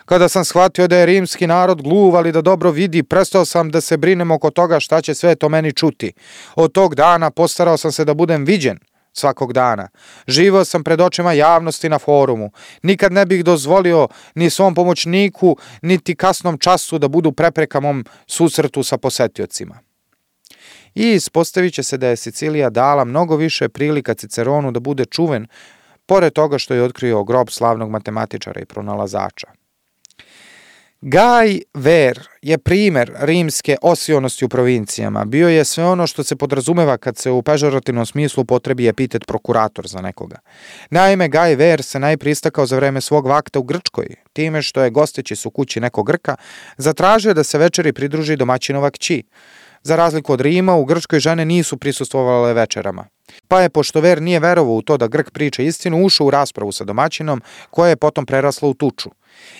Kada sam shvatio da je rimski narod gluv, ali da dobro vidi, prestao sam da se brinem oko toga šta će sve to meni čuti. Od tog dana postarao sam se da budem viđen svakog dana. Živao sam pred očima javnosti na forumu. Nikad ne bih dozvolio ni svom pomoćniku, niti kasnom času da budu prepreka mom susretu sa posetiocima. I ispostavit će se da je Sicilija dala mnogo više prilika Ciceronu da bude čuven, pored toga što je otkrio grob slavnog matematičara i pronalazača. Gaj Ver je primer rimske osionosti u provincijama. Bio je sve ono što se podrazumeva kad se u pežorativnom smislu potrebi epitet prokurator za nekoga. Naime, Gaj Ver se najprije istakao za vreme svog vakta u Grčkoj, time što je gosteći su kući nekog Grka, zatražio da se večeri pridruži domaćinova kći. Za razliku od Rima, u Grčkoj žene nisu prisustvovale večerama. Pa je, pošto Ver nije verovao u to da Grk priča istinu, ušao u raspravu sa domaćinom, koja je potom prerasla u tuču.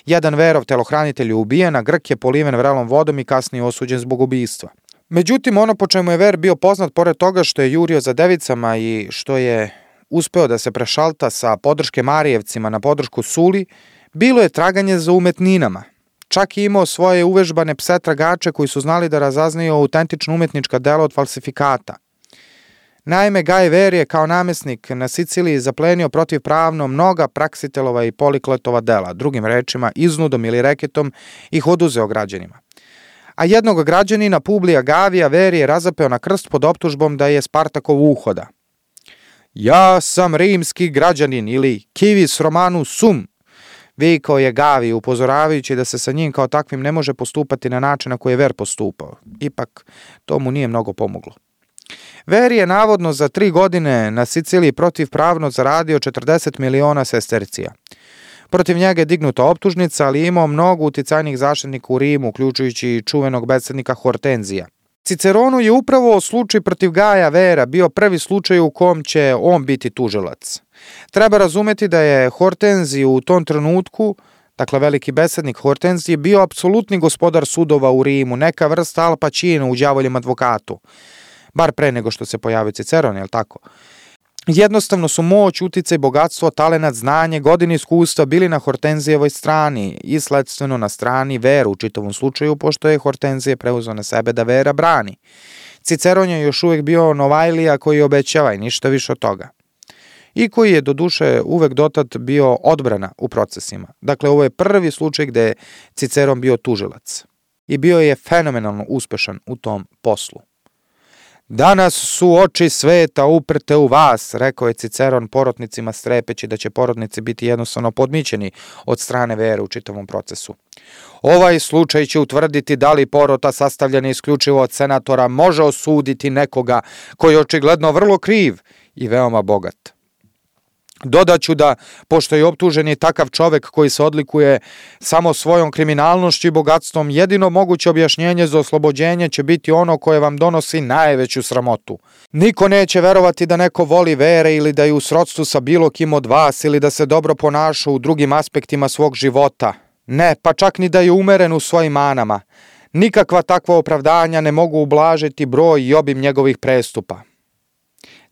Jedan Verov telohranitelj je ubijen, a Grk je poliven vrelom vodom i kasnije osuđen zbog ubistva. Međutim, ono po čemu je Ver bio poznat, pored toga što je jurio za devicama i što je uspeo da se prešalta sa podrške Marijevcima na podršku Suli, bilo je traganje za umetninama. Čak je imao svoje uvežbane pse tragače koji su znali da razaznaju autentično umetnička dela od falsifikata. Naime, Gaj Ver je kao namesnik na Siciliji zaplenio protivpravno mnoga Praksitelova i Polikletova dela, drugim rečima iznudom ili reketom ih oduzeo građanima. A jednog građanina, Publija Gavija, Ver je razapeo na krst pod optužbom da je Spartakov uhoda. Ja sam rimski građanin ili civis Romanus sum. Vikao je Gavi, upozoravajući da se sa njim kao takvim ne može postupati na način na koji je Ver postupao. Ipak, to mu nije mnogo pomoglo. Ver je navodno za tri godine na Siciliji protivpravno zaradio četrdeset miliona sestercija. Protiv njega je dignuta optužnica, ali je imao mnogo uticajnih zaštitnika u Rimu, uključujući i čuvenog besednika Hortenzija. Ciceronu je upravo slučaj protiv Gaja Vera bio prvi slučaj u kom će on biti tužilac. Treba razumeti da je Hortenzij u tom trenutku, dakle veliki besednik Hortenzij, bio apsolutni gospodar sudova u Rimu, neka vrsta Al Pacino u Đavoljem advokatu. Bar pre nego što se pojavio Ciceron, je li tako? Jednostavno su moć, uticaj, bogatstvo, talenat, znanje, godine iskustva bili na Hortenzijevoj strani i sledstveno na strani Vera u čitavom slučaju, pošto je Hortenzije preuzeo na sebe da Vera brani. Ciceron je još uvijek bio Novajlija koji obećava i ništa više od toga. I koji je doduše uvek dotad bio odbrana u procesima. Dakle, ovo je prvi slučaj gde je Ciceron bio tužilac. I bio je fenomenalno uspešan u tom poslu. Danas su oči sveta uprte u vas, rekao je Ciceron porotnicima strepeći da će porotnici biti jednostavno podmićeni od strane Vere u čitavom procesu. Ovaj slučaj će utvrditi da li porota sastavljena isključivo od senatora može osuditi nekoga koji je očigledno vrlo kriv i veoma bogat. Dodaću da, pošto je optuženi takav čovek koji se odlikuje samo svojom kriminalnošću i bogatstvom, jedino moguće objašnjenje za oslobođenje će biti ono koje vam donosi najveću sramotu. Niko neće verovati da neko voli Vere ili da je u srodstvu sa bilo kim od vas ili da se dobro ponaša u drugim aspektima svog života. Ne, pa čak ni da je umeren u svojim manama. Nikakva takva opravdanja ne mogu ublažiti broj i obim njegovih prestupa.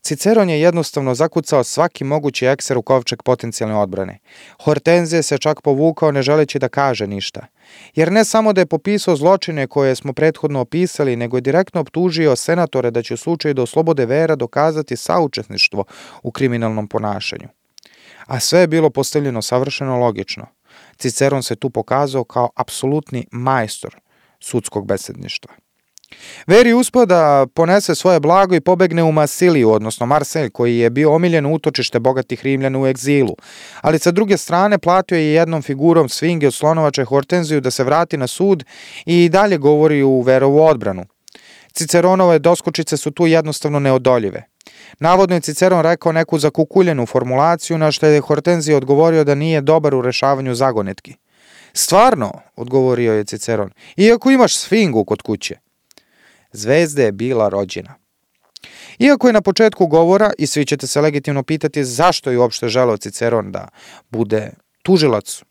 Ciceron je jednostavno zakucao svaki mogući ekser u kovčeg potencijalne odbrane. Hortenzije se čak povukao ne želeći da kaže ništa. Jer ne samo da je popisao zločine koje smo prethodno opisali, nego je direktno optužio senatore da će u slučaju da oslobode Vera dokazati saučesništvo u kriminalnom ponašanju. A sve je bilo postavljeno savršeno logično. Ciceron se tu pokazao kao apsolutni majstor sudskog besedništva. Ver je uspeo da ponese svoje blago i pobegne u Masiliju, odnosno Marselj, koji je bio omiljeno utočište bogatih Rimljana u egzilu, ali sa druge strane platio je jednom figurom svinge od slonovače Hortenziju da se vrati na sud i dalje govori u Verovu odbranu. Ciceronove doskočice su tu jednostavno neodoljive. Navodno je Ciceron rekao neku zakukuljenu formulaciju, na što je Hortenzij odgovorio da nije dobar u rešavanju zagonetki. Stvarno, odgovorio je Ciceron, iako imaš sfingu kod kuće. Zvezda je bila rođena. Iako je na početku govora, i svi ćete se legitimno pitati zašto je uopšte želeo Ciceron da bude tužilac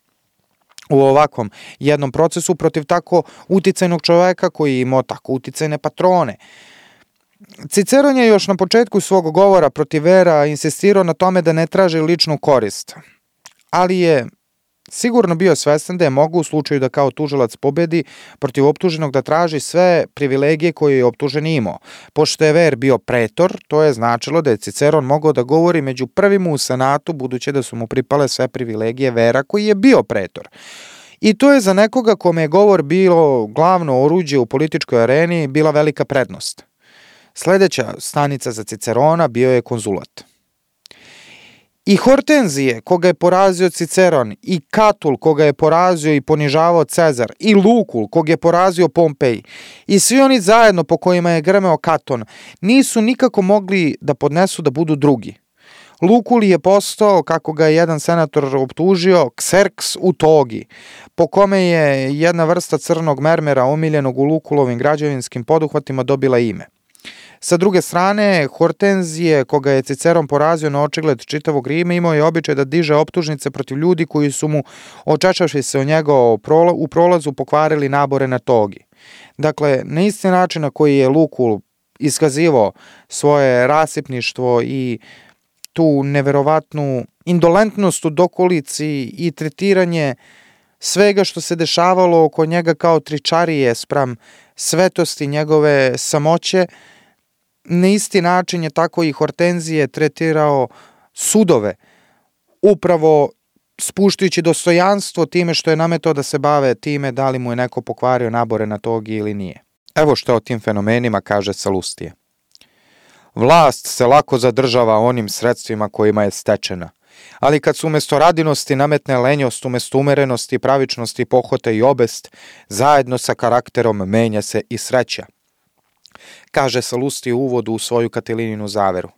u ovakvom jednom procesu protiv tako uticajnog čoveka koji je imao tako uticajne patrone. Ciceron je još na početku svog govora protiv Vera insistirao na tome da ne traži ličnu korist, ali je sigurno bio svestan da je mogu u slučaju da kao tužilac pobedi protiv optuženog da traži sve privilegije koje je optužen imao. Pošto je Ver bio pretor, to je značilo da je Ciceron mogao da govori među prvima u senatu, budući da su mu pripale sve privilegije Vera koji je bio pretor. I to je za nekoga kome je govor bilo glavno oruđe u političkoj areni bila velika prednost. Sledeća stanica za Cicerona bio je konzulat. I Hortenzije, koga je porazio Ciceron, i Katul, koga je porazio i ponižavao Cezar, i Lukul, koga je porazio Pompej, i svi oni zajedno po kojima je grmeo Katon, nisu nikako mogli da podnesu da budu drugi. Lukul je postao, kako ga je jedan senator optužio, Kserks u togi, po kome je jedna vrsta crnog mermera omiljenog u Lukulovim građevinskim poduhvatima dobila ime. Sa druge strane, Hortenzije, koga je Ciceron porazio na očigled čitavog Rima, imao je običaj da diže optužnice protiv ljudi koji su mu, očešavši se o njega u prolazu, pokvarili nabore na togi. Dakle, na isti način na koji je Lukul iskazivao svoje rasipništvo i tu neverovatnu indolentnost u dokolici i tretiranje svega što se dešavalo oko njega kao tričarije spram svetosti njegove samoće, na isti način je tako i Hortenzije tretirao sudove, upravo spuštajući dostojanstvo time što je nametao da se bave time da li mu je neko pokvario nabore na togi ili nije. Evo što o tim fenomenima kaže Salustije. Vlast se lako zadržava onim sredstvima kojima je stečena Ali kad su umjesto radinosti nametne lenjost, umjesto umerenosti, pravičnosti, pohote i obest, zajedno sa karakterom menja se i sreća. Kaže Salusti u uvodu u svoju Katilininu zaveru.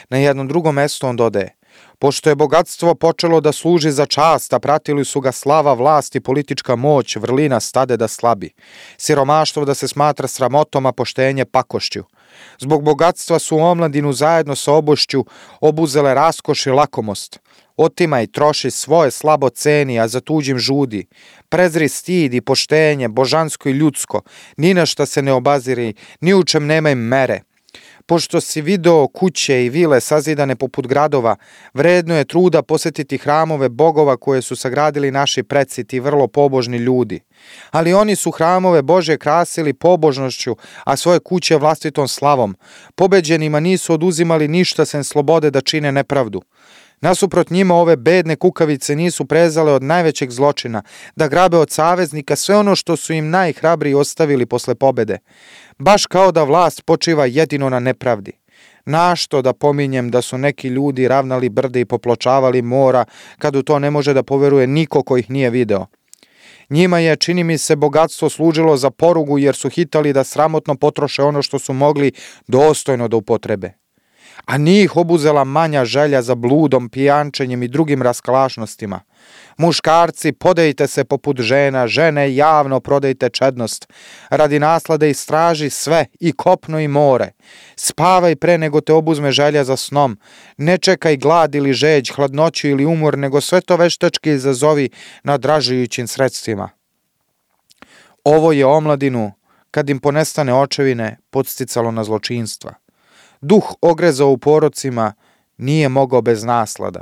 Na jednom drugom mjestu on dodaje: pošto je bogatstvo počelo da služi za čast, a pratili su ga slava, vlast i politička moć, vrlina stade da slabi. Siromaštvo da se smatra sramotom, a poštenje pakošću. Zbog bogatstva su omladinu zajedno sa obošću obuzele raskoš i lakomost. Otima i troši svoje, slabo ceni, a za tuđim žudi. Prezri stid i poštenje, božansko i ljudsko, ni na šta se ne obaziri, ni u čem nema im mere. Pošto si video kuće i vile sazidane poput gradova, vredno je truda posjetiti hramove bogova koje su sagradili naši preci, ti vrlo pobožni ljudi. Ali oni su hramove Božje krasili pobožnošću, a svoje kuće vlastitom slavom. Pobeđenima nisu oduzimali ništa sem slobode da čine nepravdu. Nasuprot njima ove bedne kukavice nisu prezale od najvećeg zločina, da grabe od saveznika sve ono što su im najhrabriji ostavili posle pobede. Baš kao da vlast počiva jedino na nepravdi. Našto da pominjem da su neki ljudi ravnali brde i popločavali mora, kad u to ne može da poveruje niko ko ih nije video. Njima je, čini mi se, bogatstvo služilo za porugu jer su hitali da sramotno potroše ono što su mogli dostojno da upotrebe. A njih obuzela manja želja za bludom, pijančenjem i drugim raskalašnostima. Muškarci, podejte se poput žena, žene javno prodajte čednost. Radi naslade istraži sve, i kopno i more. Spavaj pre nego te obuzme želja za snom. Ne čekaj glad ili žeđ, hladnoću ili umor, nego sve to veštački izazovi nadražujućim sredstvima. Ovo je omladinu, kad im ponestane očevine, podsticalo na zločinstva. Duh ogrezao u porocima nije mogao bez naslada.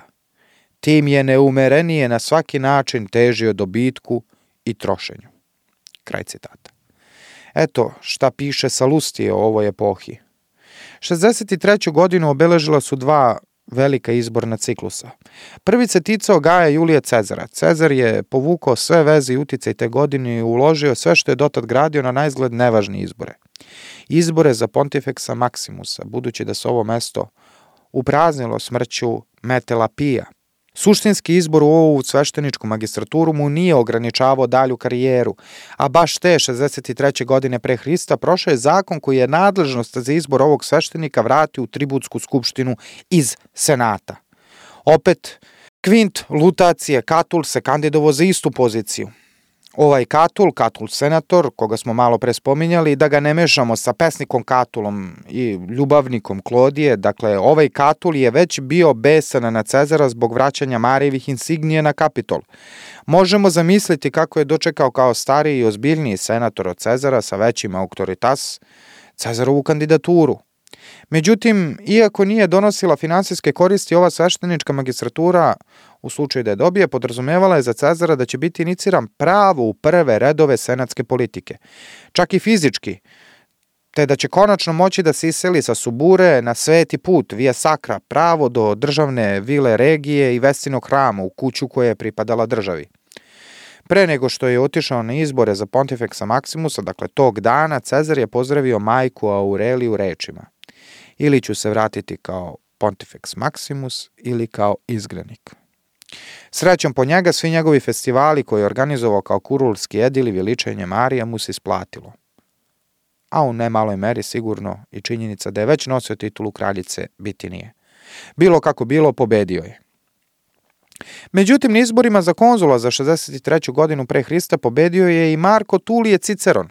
Tim je neumerenije na svaki način težio dobitku i trošenju. Kraj citata. Eto šta piše Salustije o ovoj epohi. šezdeset treću godinu obeležila su dva velika izborna ciklusa. Prvi se ticao Gaja Julija Cezara. Cezar je povukao sve veze i uticaj te godine i uložio sve što je dotad gradio na naizgled nevažne izbore. Izbore za Pontifeksa Maximusa, budući da se ovo mesto upraznilo smrću Metela Pija. Suštinski izbor u ovu svešteničku magistraturu mu nije ograničavao dalju karijeru, a baš te šezdeset treće godine pre Hrista prošao je zakon koji je nadležnost za izbor ovog sveštenika vratio u tributsku skupštinu iz senata. Opet, Kvint Lutacije Katul se kandidovao za istu poziciju. Ovaj Katul, Katul senator, koga smo malo pre spominjali, da ga ne mešamo sa pesnikom Katulom i ljubavnikom Klodije, dakle ovaj Katul je već bio besan na Cezara zbog vraćanja Marijevih insignije na Kapitol. Možemo zamisliti kako je dočekao kao stariji i ozbiljniji senator od Cezara sa većim autoritas Cezarovu kandidaturu. Međutim, iako nije donosila finansijske koristi, ova sveštenička magistratura, u slučaju da je dobije, podrazumevala je za Cezara da će biti iniciran pravo u prve redove senatske politike, čak i fizički, te da će konačno moći da se iseli sa Subure na sveti put, via sacra, pravo do državne vile regije i Vestinog hrama u kuću koja je pripadala državi. Pre nego što je otišao na izbore za Pontifeksa Maximusa, dakle tog dana, Cezar je pozdravio majku Aureliju rečima: ili ću se vratiti kao Pontifeks Maximus ili kao izgrednik. Srećom po njega, svi njegovi festivali koje je organizovao kao kurulski edil i veličenje Marija mu se isplatilo. A u nemaloj meri sigurno i činjenica da je već nosio titulu kraljice biti nije. Bilo kako bilo, pobedio je. Međutim, na izborima za konzula za šezdeset treću godinu pre Hrista pobedio je i Marko Tulije Ciceron.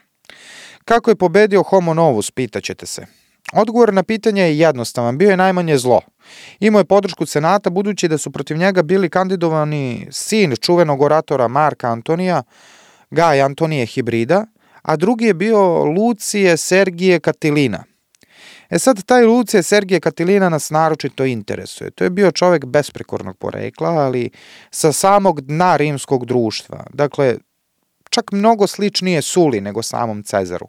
Kako je pobedio Homo Novus, pitaćete se. Odgovor na pitanje je jednostavan, bio je najmanje zlo. Imao je podršku senata budući da su protiv njega bili kandidovani sin čuvenog oratora Marka Antonija, Gaj Antonije Hibrida, a drugi je bio Lucije Sergije Katilina. E sad, taj Lucije Sergije Katilina nas naročito interesuje. To je bio čovjek besprekornog porekla, ali sa samog dna rimskog društva. Dakle, čak mnogo sličnije Suli nego samom Cezaru.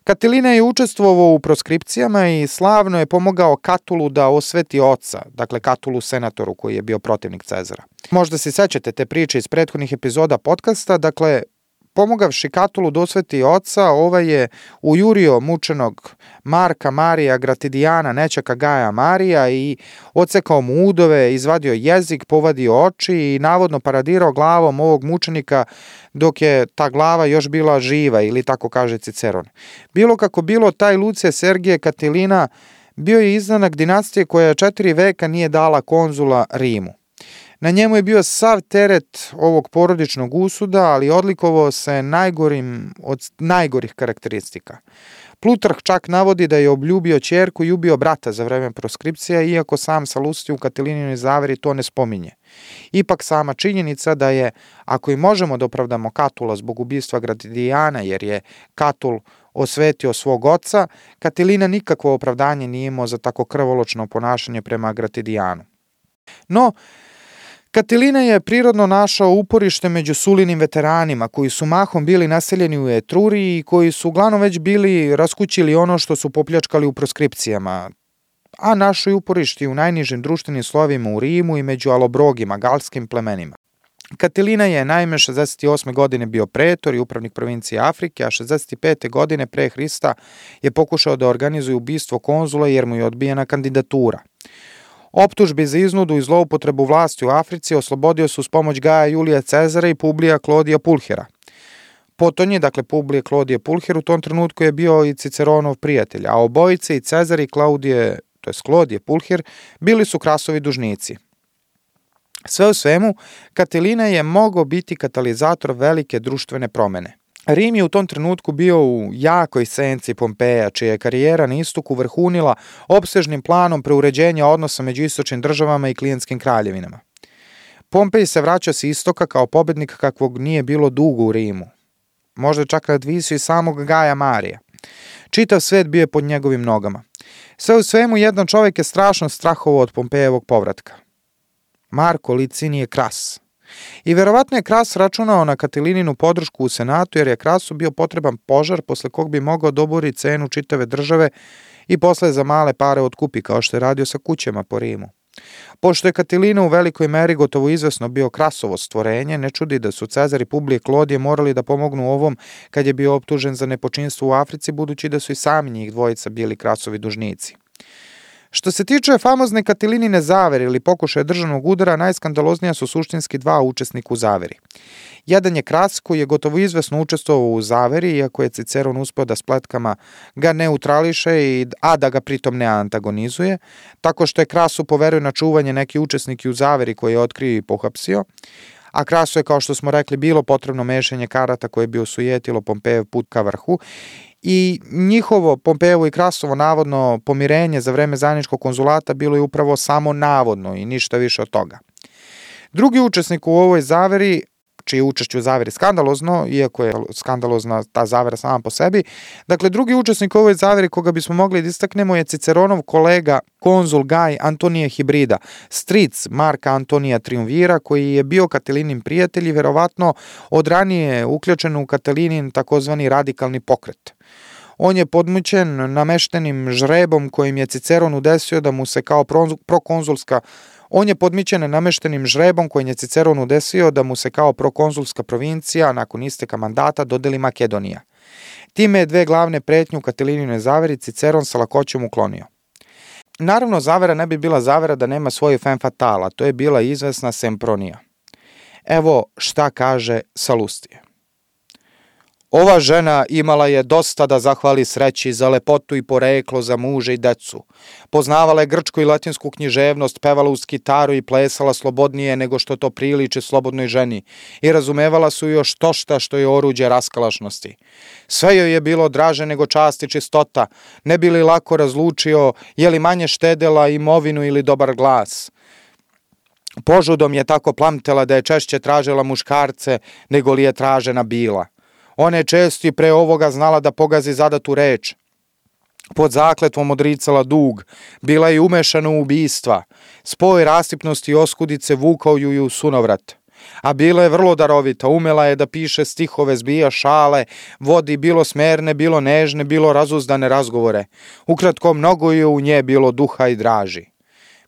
Katilina je učestvovao u proskripcijama i slavno je pomogao Katulu da osveti oca, dakle Katulu senatoru koji je bio protivnik Cezara. Možda se sećate te priče iz prethodnih epizoda podcasta, dakle pomogavši Katulu da osveti oca, ovaj je ujurio mučenog Marka Marija Gratidijana, nećaka Gaja Marija, i odsekao mu udove, izvadio jezik, povadio oči i navodno paradirao glavom ovog mučenika dok je ta glava još bila živa, ili tako kaže Ciceron. Bilo kako bilo, taj Lucije Sergije Katilina bio je izdanak dinastije koja četiri veka nije dala konzula Rimu. Na njemu je bio sav teret ovog porodičnog usuda, ali odlikovao se najgorim od najgorih karakteristika. Plutarh čak navodi da je obljubio ćerku i ubio brata za vreme proskripcija, iako sam Salustije u Katilinijoj zaveri to ne spominje. Ipak sama činjenica da je, ako i možemo da opravdamo Katula zbog ubistva Gratidijana, jer je Katul osvetio svog oca, Katilina nikakvo opravdanje nije imao za tako krvoločno ponašanje prema Gratidijanu. No, Katilina je prirodno našao uporište među Sulinim veteranima, koji su mahom bili naseljeni u Etruriji i koji su uglavnom već bili raskućili ono što su popljačkali u proskripcijama, a našao je uporište u najnižim društvenim slovima u Rimu i među alobrogima, galskim plemenima. Katilina je naime šezdeset osme godine bio pretor i upravnik provincije Afrike, a šezdeset pete godine pre Hrista je pokušao da organizuje ubistvo konzula jer mu je odbijena kandidatura. Optužbi za iznudu i zloupotrebu vlasti u Africi oslobodio su s pomoć Gaja Julija Cezara i Publija Klodija Pulhera. Potonji, dakle Publije Klodije Pulher, u tom trenutku je bio i Ciceronov prijatelj, a obojice, i Cezar i Klaudije, to je Klodije Pulher, bili su Krasovi dužnici. Sve u svemu, Katilina je mogao biti katalizator velike društvene promene. Rim je u tom trenutku bio u jakoj senci Pompeja, čija je karijera na istoku vrhunila opsežnim planom preuređenja odnosa među istočnim državama i klijentskim kraljevinama. Pompej se vraća s istoka kao pobednik kakvog nije bilo dugo u Rimu. Možda čak nadvisio i samog Gaja Marija. Čitav svet bio je pod njegovim nogama. Sve u svemu, jedan čovjek je strašno strahovao od Pompejevog povratka. Marko Licinije Kras. I verovatno je Kras računao na Katilininu podršku u senatu, jer je Krasu bio potreban požar posle kog bi mogao dobori cenu čitave države i posle za male pare otkupi, kao što je radio sa kućama po Rimu. Pošto je Katilina u velikoj meri gotovo izvesno bio Krasovo stvorenje, ne čudi da su Cezar i Publije Klodije morali da pomognu ovom kad je bio optužen za nepočinstvo u Africi, budući da su i sami njih dvojica bili Krasovi dužnici. Što se tiče famozne Katilinine zavere ili pokušaja državnog udara, najskandaloznija su suštinski dva učesnika u zaveri. Jedan je Kras, koji je gotovo izvesno učestvovao u zaveri, iako je Ciceron uspeo da spletkama ga neutrališe, i, a da ga pritom ne antagonizuje, tako što je Krasu poverio na čuvanje neki učesniki u zaveri koji je otkrio i pohapsio, a Krasu je, kao što smo rekli, bilo potrebno mešanje karata koje bi osujetilo Pompejev put ka vrhu, i njihovo, Pompejevo i Krasovo, navodno pomirenje za vreme zajedničkog konzulata bilo je upravo samo navodno i ništa više od toga. Drugi učesnik u ovoj zaveri, čije učešće u zaveri skandalozno, iako je skandalozna ta zavera sama po sebi, dakle drugi učesnik u ovoj zaveri koga bismo mogli da istaknemo je Ciceronov kolega konzul Gaj Antonije Hibrida, stric Marka Antonija Triumvira, koji je bio Katilinin prijatelj i verovatno od ranije uključen u Katilinin takozvani radikalni pokret. On je podmućen nameštenim žrebom kojim je Ciceron udesio da mu se kao prokonzulska On je podmićen nameštenim žrebom kojim je Ciceron udesio da mu se kao prokonzulska provincija nakon isteka mandata dodeli Makedonija. Time je dve glavne pretnje u Katilinine zaveri Ciceron sa lakoćom uklonio. Naravno, zavera ne bi bila zavera da nema svoju femme fatale, to je bila izvesna Sempronija. Evo šta kaže Salustije. Ova žena imala je dosta da zahvali sreći za lepotu i poreklo, za muže i decu. Poznavala je grčku i latinsku književnost, pevala uz kitaru i plesala slobodnije nego što to priliči slobodnoj ženi i razumevala su još to šta što je oruđe raskalašnosti. Sve joj je bilo draže nego čast i čistota, ne bi li lako razlučio je li manje štedela imovinu ili dobar glas. Požudom je tako plamtela da je češće tražila muškarce nego li je tražena bila. Ona je često i pre ovoga znala da pogazi zadatu reč. Pod zakletvom odricala dug, bila je umešana u ubistva. Spoj rasipnosti i oskudice vukao ju i u sunovrat. A bila je vrlo darovita, umela je da piše stihove, zbija šale, vodi bilo smerne, bilo nežne, bilo razuzdane razgovore. Ukratko, mnogo je u nje bilo duha i draži.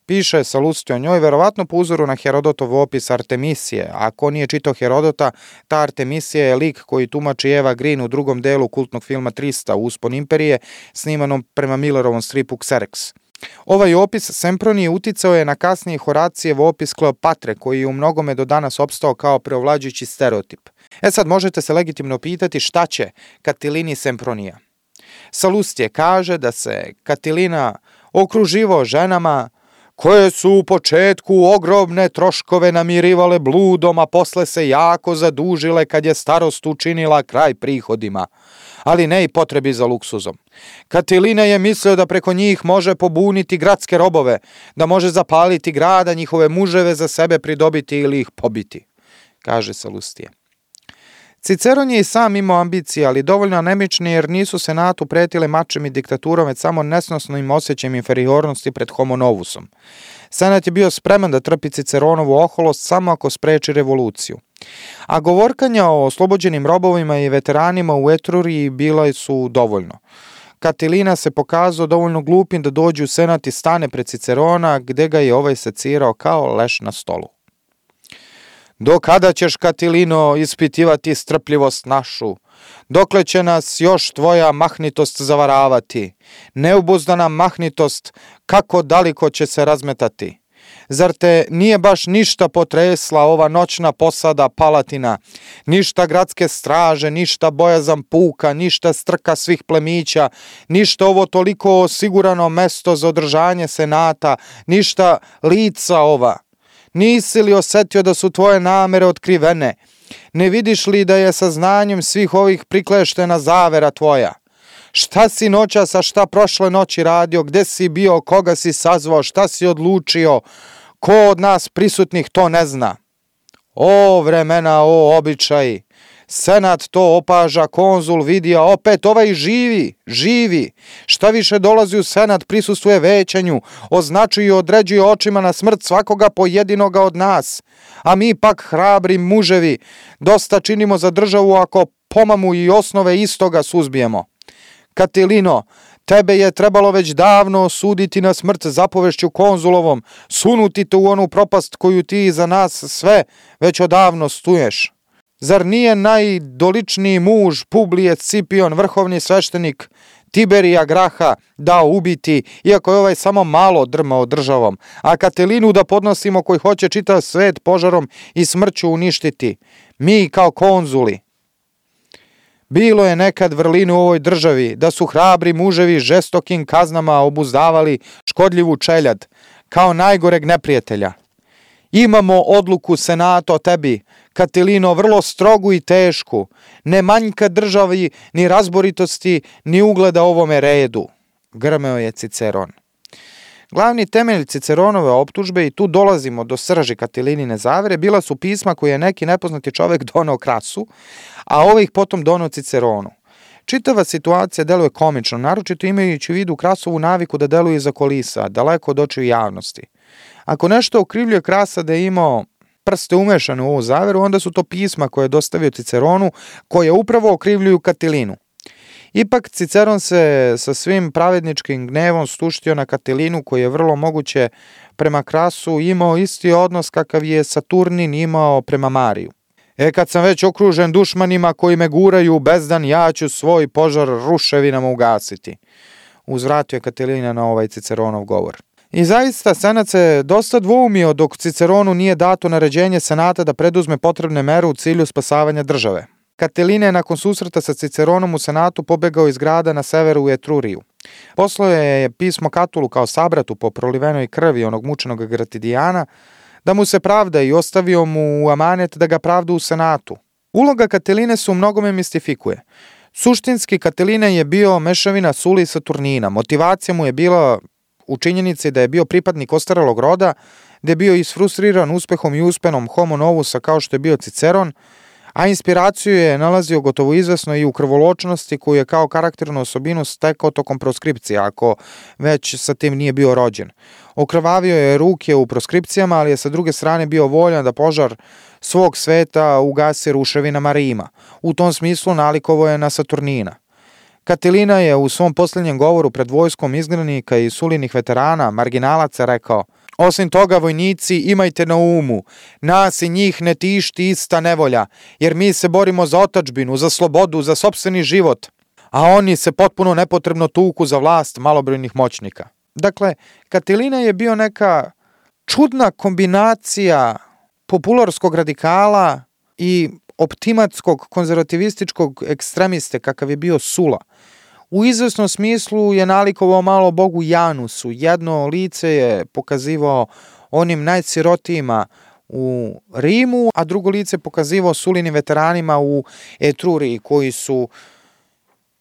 Piše Salustije o njoj, verovatno po uzoru na Herodotov opis Artemisije. Ako nije čitao Herodota, ta Artemisija je lik koji tumači Eva Green u drugom delu kultnog filma trista, Uspon imperije, snimanom prema Millerovom stripu Xerxes. Ovaj opis Sempronije uticao je na kasniji Horacijev opis Kleopatre, koji je u mnogome do danas opstao kao preovlađujući stereotip. E sad možete se legitimno pitati šta će Katilini Sempronija. Salustije kaže da se Katilina okruživao ženama koje su u početku ogromne troškove namirivale bludom, a posle se jako zadužile kad je starost učinila kraj prihodima, ali ne i potrebi za luksuzom. Katilina je mislio da preko njih može pobuniti gradske robove, da može zapaliti grada, njihove muževe za sebe pridobiti ili ih pobiti, kaže Salustije. Ciceron je i sam imao ambicije, ali dovoljno anemični jer nisu senatu pretile mačem i diktaturom, već samo nesnosnim osjećajem inferiornosti pred homo novusom. Senat je bio spreman da trpi Ciceronovu oholost samo ako spreči revoluciju. A govorkanja o oslobođenim robovima i veteranima u Etruriji bila su dovoljno. Katilina se pokazao dovoljno glupim da dođe u senat i stane pred Cicerona, gde ga je ovaj secirao kao leš na stolu. Do kada ćeš, Katilino, ispitivati strpljivost našu? Dokle će nas još tvoja mahnitost zavaravati? Neubuzdana mahnitost, kako daleko će se razmetati? Zar te nije baš ništa potresla ova noćna posada Palatina? Ništa gradske straže, ništa bojazan puka, ništa strka svih plemića, ništa ovo toliko osigurano mesto za održanje senata, ništa lica ova? Nisi li osetio da su tvoje namere otkrivene? Ne vidiš li da je saznanjem svih ovih prikleštena zavera tvoja? Šta si noćas, a šta prošle noći radio? Gde si bio? Koga si sazvao? Šta si odlučio? Ko od nas prisutnih to ne zna? O vremena, o običaji! Senat to opaža, konzul vidi, a opet ovaj živi, živi. Šta više dolazi u senat, prisustvuje većanju, označuje i određuje očima na smrt svakoga pojedinoga od nas. A mi pak, hrabri muževi, dosta činimo za državu ako pomamu i osnove istoga suzbijemo. Katilino, tebe je trebalo već davno osuditi na smrt zapovešću konzulovom, sunuti te u onu propast koju ti za nas sve već odavno stuješ. Zar nije najdoličniji muž Publije Scipion, vrhovni sveštenik Tiberija Graha, dao ubiti, iako je ovaj samo malo drmao državom, a Katilinu da podnosimo koji hoće čitav svet požarom i smrću uništiti, mi kao konzuli? Bilo je nekad vrlinu u ovoj državi, da su hrabri muževi žestokim kaznama obuzdavali škodljivu čeljad, kao najgoreg neprijatelja. Imamo odluku senata o tebi, Katilino, vrlo strogu i tešku, ne manjka državi ni razboritosti, ni ugleda ovome redu, grmeo je Ciceron. Glavni temelj Ciceronove optužbe, i tu dolazimo do srži Katilinine zavere, bila su pisma koje je neki nepoznati čovek doneo Krasu, a ovaj ih potom doneo Ciceronu. Čitava situacija deluje komično, naročito imajući u vidu Krasovu naviku da deluje iza kolisa, daleko od očiju javnosti. Ako nešto okrivljuje Krasa da je imao prste umešane u ovu zaveru, onda su to pisma koje je dostavio Ciceronu, koje upravo okrivljuju Katilinu. Ipak Ciceron se sa svim pravedničkim gnevom stuštio na Katilinu, koji je vrlo moguće prema Krasu imao isti odnos kakav je Saturnin imao prema Mariju. E kad sam već okružen dušmanima koji me guraju u bezdan, ja ću svoj požar ruševinama ugasiti, uzvratio je Katilina na ovaj Ciceronov govor. I zaista senat se dosta dvoumio dok Ciceronu nije dato naređenje senata da preduzme potrebne mere u cilju spasavanja države. Katilina je nakon susreta sa Ciceronom u senatu pobegao iz grada na severu u Etruriju. Poslao je pismo Katulu kao sabratu po prolivenoj krvi onog mučenog Gratidijana, da mu se pravda i ostavio mu u amanet da ga pravda u senatu. Uloga Katiline se u mnogome mistifikuje. Suštinski Katilina je bio mešavina Suli i Saturnina. Motivacija mu je bila u činjenici da je bio pripadnik ostarelog roda, da je bio isfrustriran uspehom i uspenom homo novusa kao što je bio Ciceron, a inspiraciju je nalazio gotovo izvesno i u krvoločnosti koju je kao karakternu osobinu stekao tokom proskripcije, ako već sa tim nije bio rođen. Okrvavio je ruke u proskripcijama, ali je sa druge strane bio voljan da požar svog sveta ugasi ruševinama Rima. U tom smislu nalikovao je na Saturnina. Katilina je u svom posljednjem govoru pred vojskom izgnanika i Sulinih veterana, marginalaca, rekao: Osim toga, vojnici, imajte na umu, nas i njih ne tišti ista nevolja, jer mi se borimo za otadžbinu, za slobodu, za sopstveni život, a oni se potpuno nepotrebno tuku za vlast malobrojnih moćnika. Dakle, Katilina je bio neka čudna kombinacija popularskog radikala i optimatskog konzervativističkog ekstremiste kakav je bio Sula. U izvesnom smislu je nalikovao malo bogu Janusu. Jedno lice je pokazivao onim najsirotijima u Rimu, a drugo lice pokazivao Sulinim veteranima u Etruriji, koji su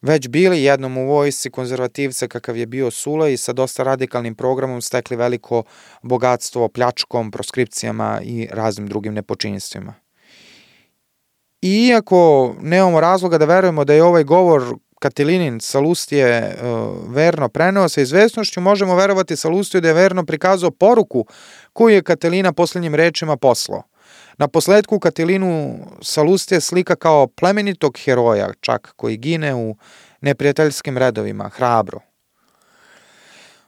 već bili jednom u vojsci konzervativca kakav je bio Sula i sa dosta radikalnim programom stekli veliko bogatstvo pljačkom, proskripcijama i raznim drugim nepočinstvima. I iako nemamo razloga da verujemo da je ovaj govor Katilinin Salustije uh, verno preneo sa izvesnošću, možemo verovati Salustiju da je verno prikazao poruku koju je Katilina posljednjim rečima poslao. Na posledku Katilinu Salustije slika kao plemenitog heroja, čak koji gine u neprijateljskim redovima, hrabro.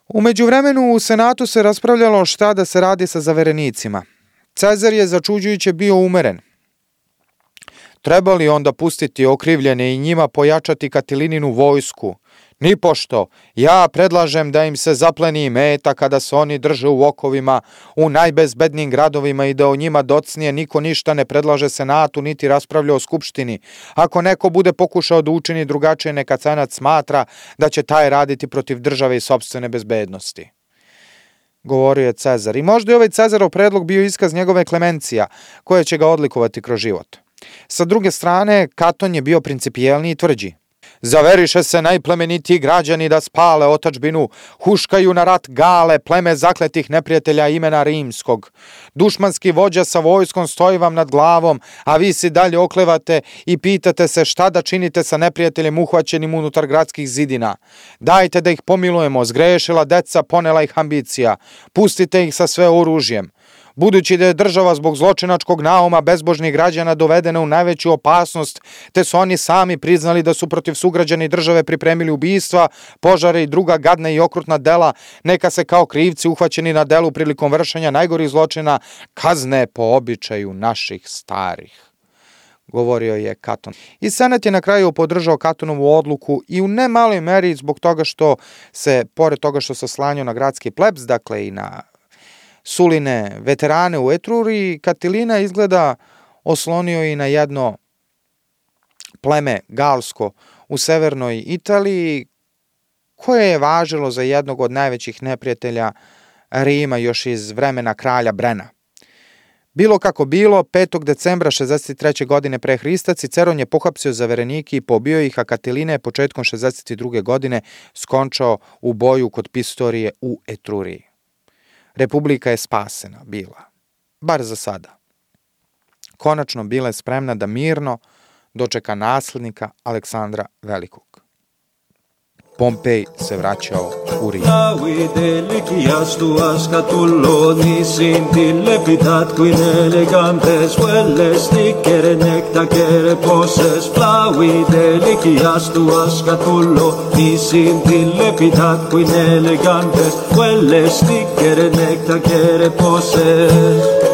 U međuvremenu u Senatu se raspravljalo šta da se radi sa zaverenicima. Cezar je začuđujuće bio umeren. Treba li onda pustiti okrivljene i njima pojačati Katilininu vojsku? Nipošto, ja predlažem da im se zapleni meta kada se oni drže u okovima u najbezbednijim gradovima i da o njima docnije niko ništa ne predlaže Senatu niti raspravlja o Skupštini. Ako neko bude pokušao da učini drugačije, neka Senat smatra da će taj raditi protiv države i sopstvene bezbednosti. Govorio je Cezar. I možda je ovaj Cezarov predlog bio iskaz njegove klemencija, koja će ga odlikovati kroz život. Sa druge strane, Katon je bio principijelniji i tvrđi. Zaveriše se najplemenitiji građani da spale otadžbinu, huškaju na rat Gale, pleme zakletih neprijatelja imena rimskog. Dušmanski vođa sa vojskom stoji vam nad glavom, a vi si dalje oklevate i pitate se šta da činite sa neprijateljem uhvaćenim unutar gradskih zidina. Dajte da ih pomilujemo, zgrešila deca, ponela ih ambicija. Pustite ih sa sve oružjem. Budući da je država zbog zločinačkog nauma bezbožnih građana dovedena u najveću opasnost, te su oni sami priznali da su protiv sugrađani države pripremili ubistva, požare i druga gadna i okrutna dela, neka se kao krivci uhvaćeni na delu prilikom vršenja najgorih zločina kazne po običaju naših starih, govorio je Katon. I Senat je na kraju podržao Katonovu odluku i u ne maloj meri zbog toga što se, pored toga što se oslanjao na gradski plebs, dakle i na Suline veterane u Etruriji, Katilina izgleda oslonio i na jedno pleme galsko u severnoj Italiji, koje je važilo za jednog od najvećih neprijatelja Rima još iz vremena kralja Brena. Bilo kako bilo, petog decembra šezdeset treće. godine pre Hrista Ciceron je pohapsio zaverenike i pobio ih, a Katilina je početkom šezdeset druge. godine skončao u boju kod Pistorije u Etruriji. Republika je spasena bila, bar za sada. Konačno bila je spremna da mirno dočeka naslednika Aleksandra Velikog. Pompej se vraćao u Rim. Quelle stichere necta che repose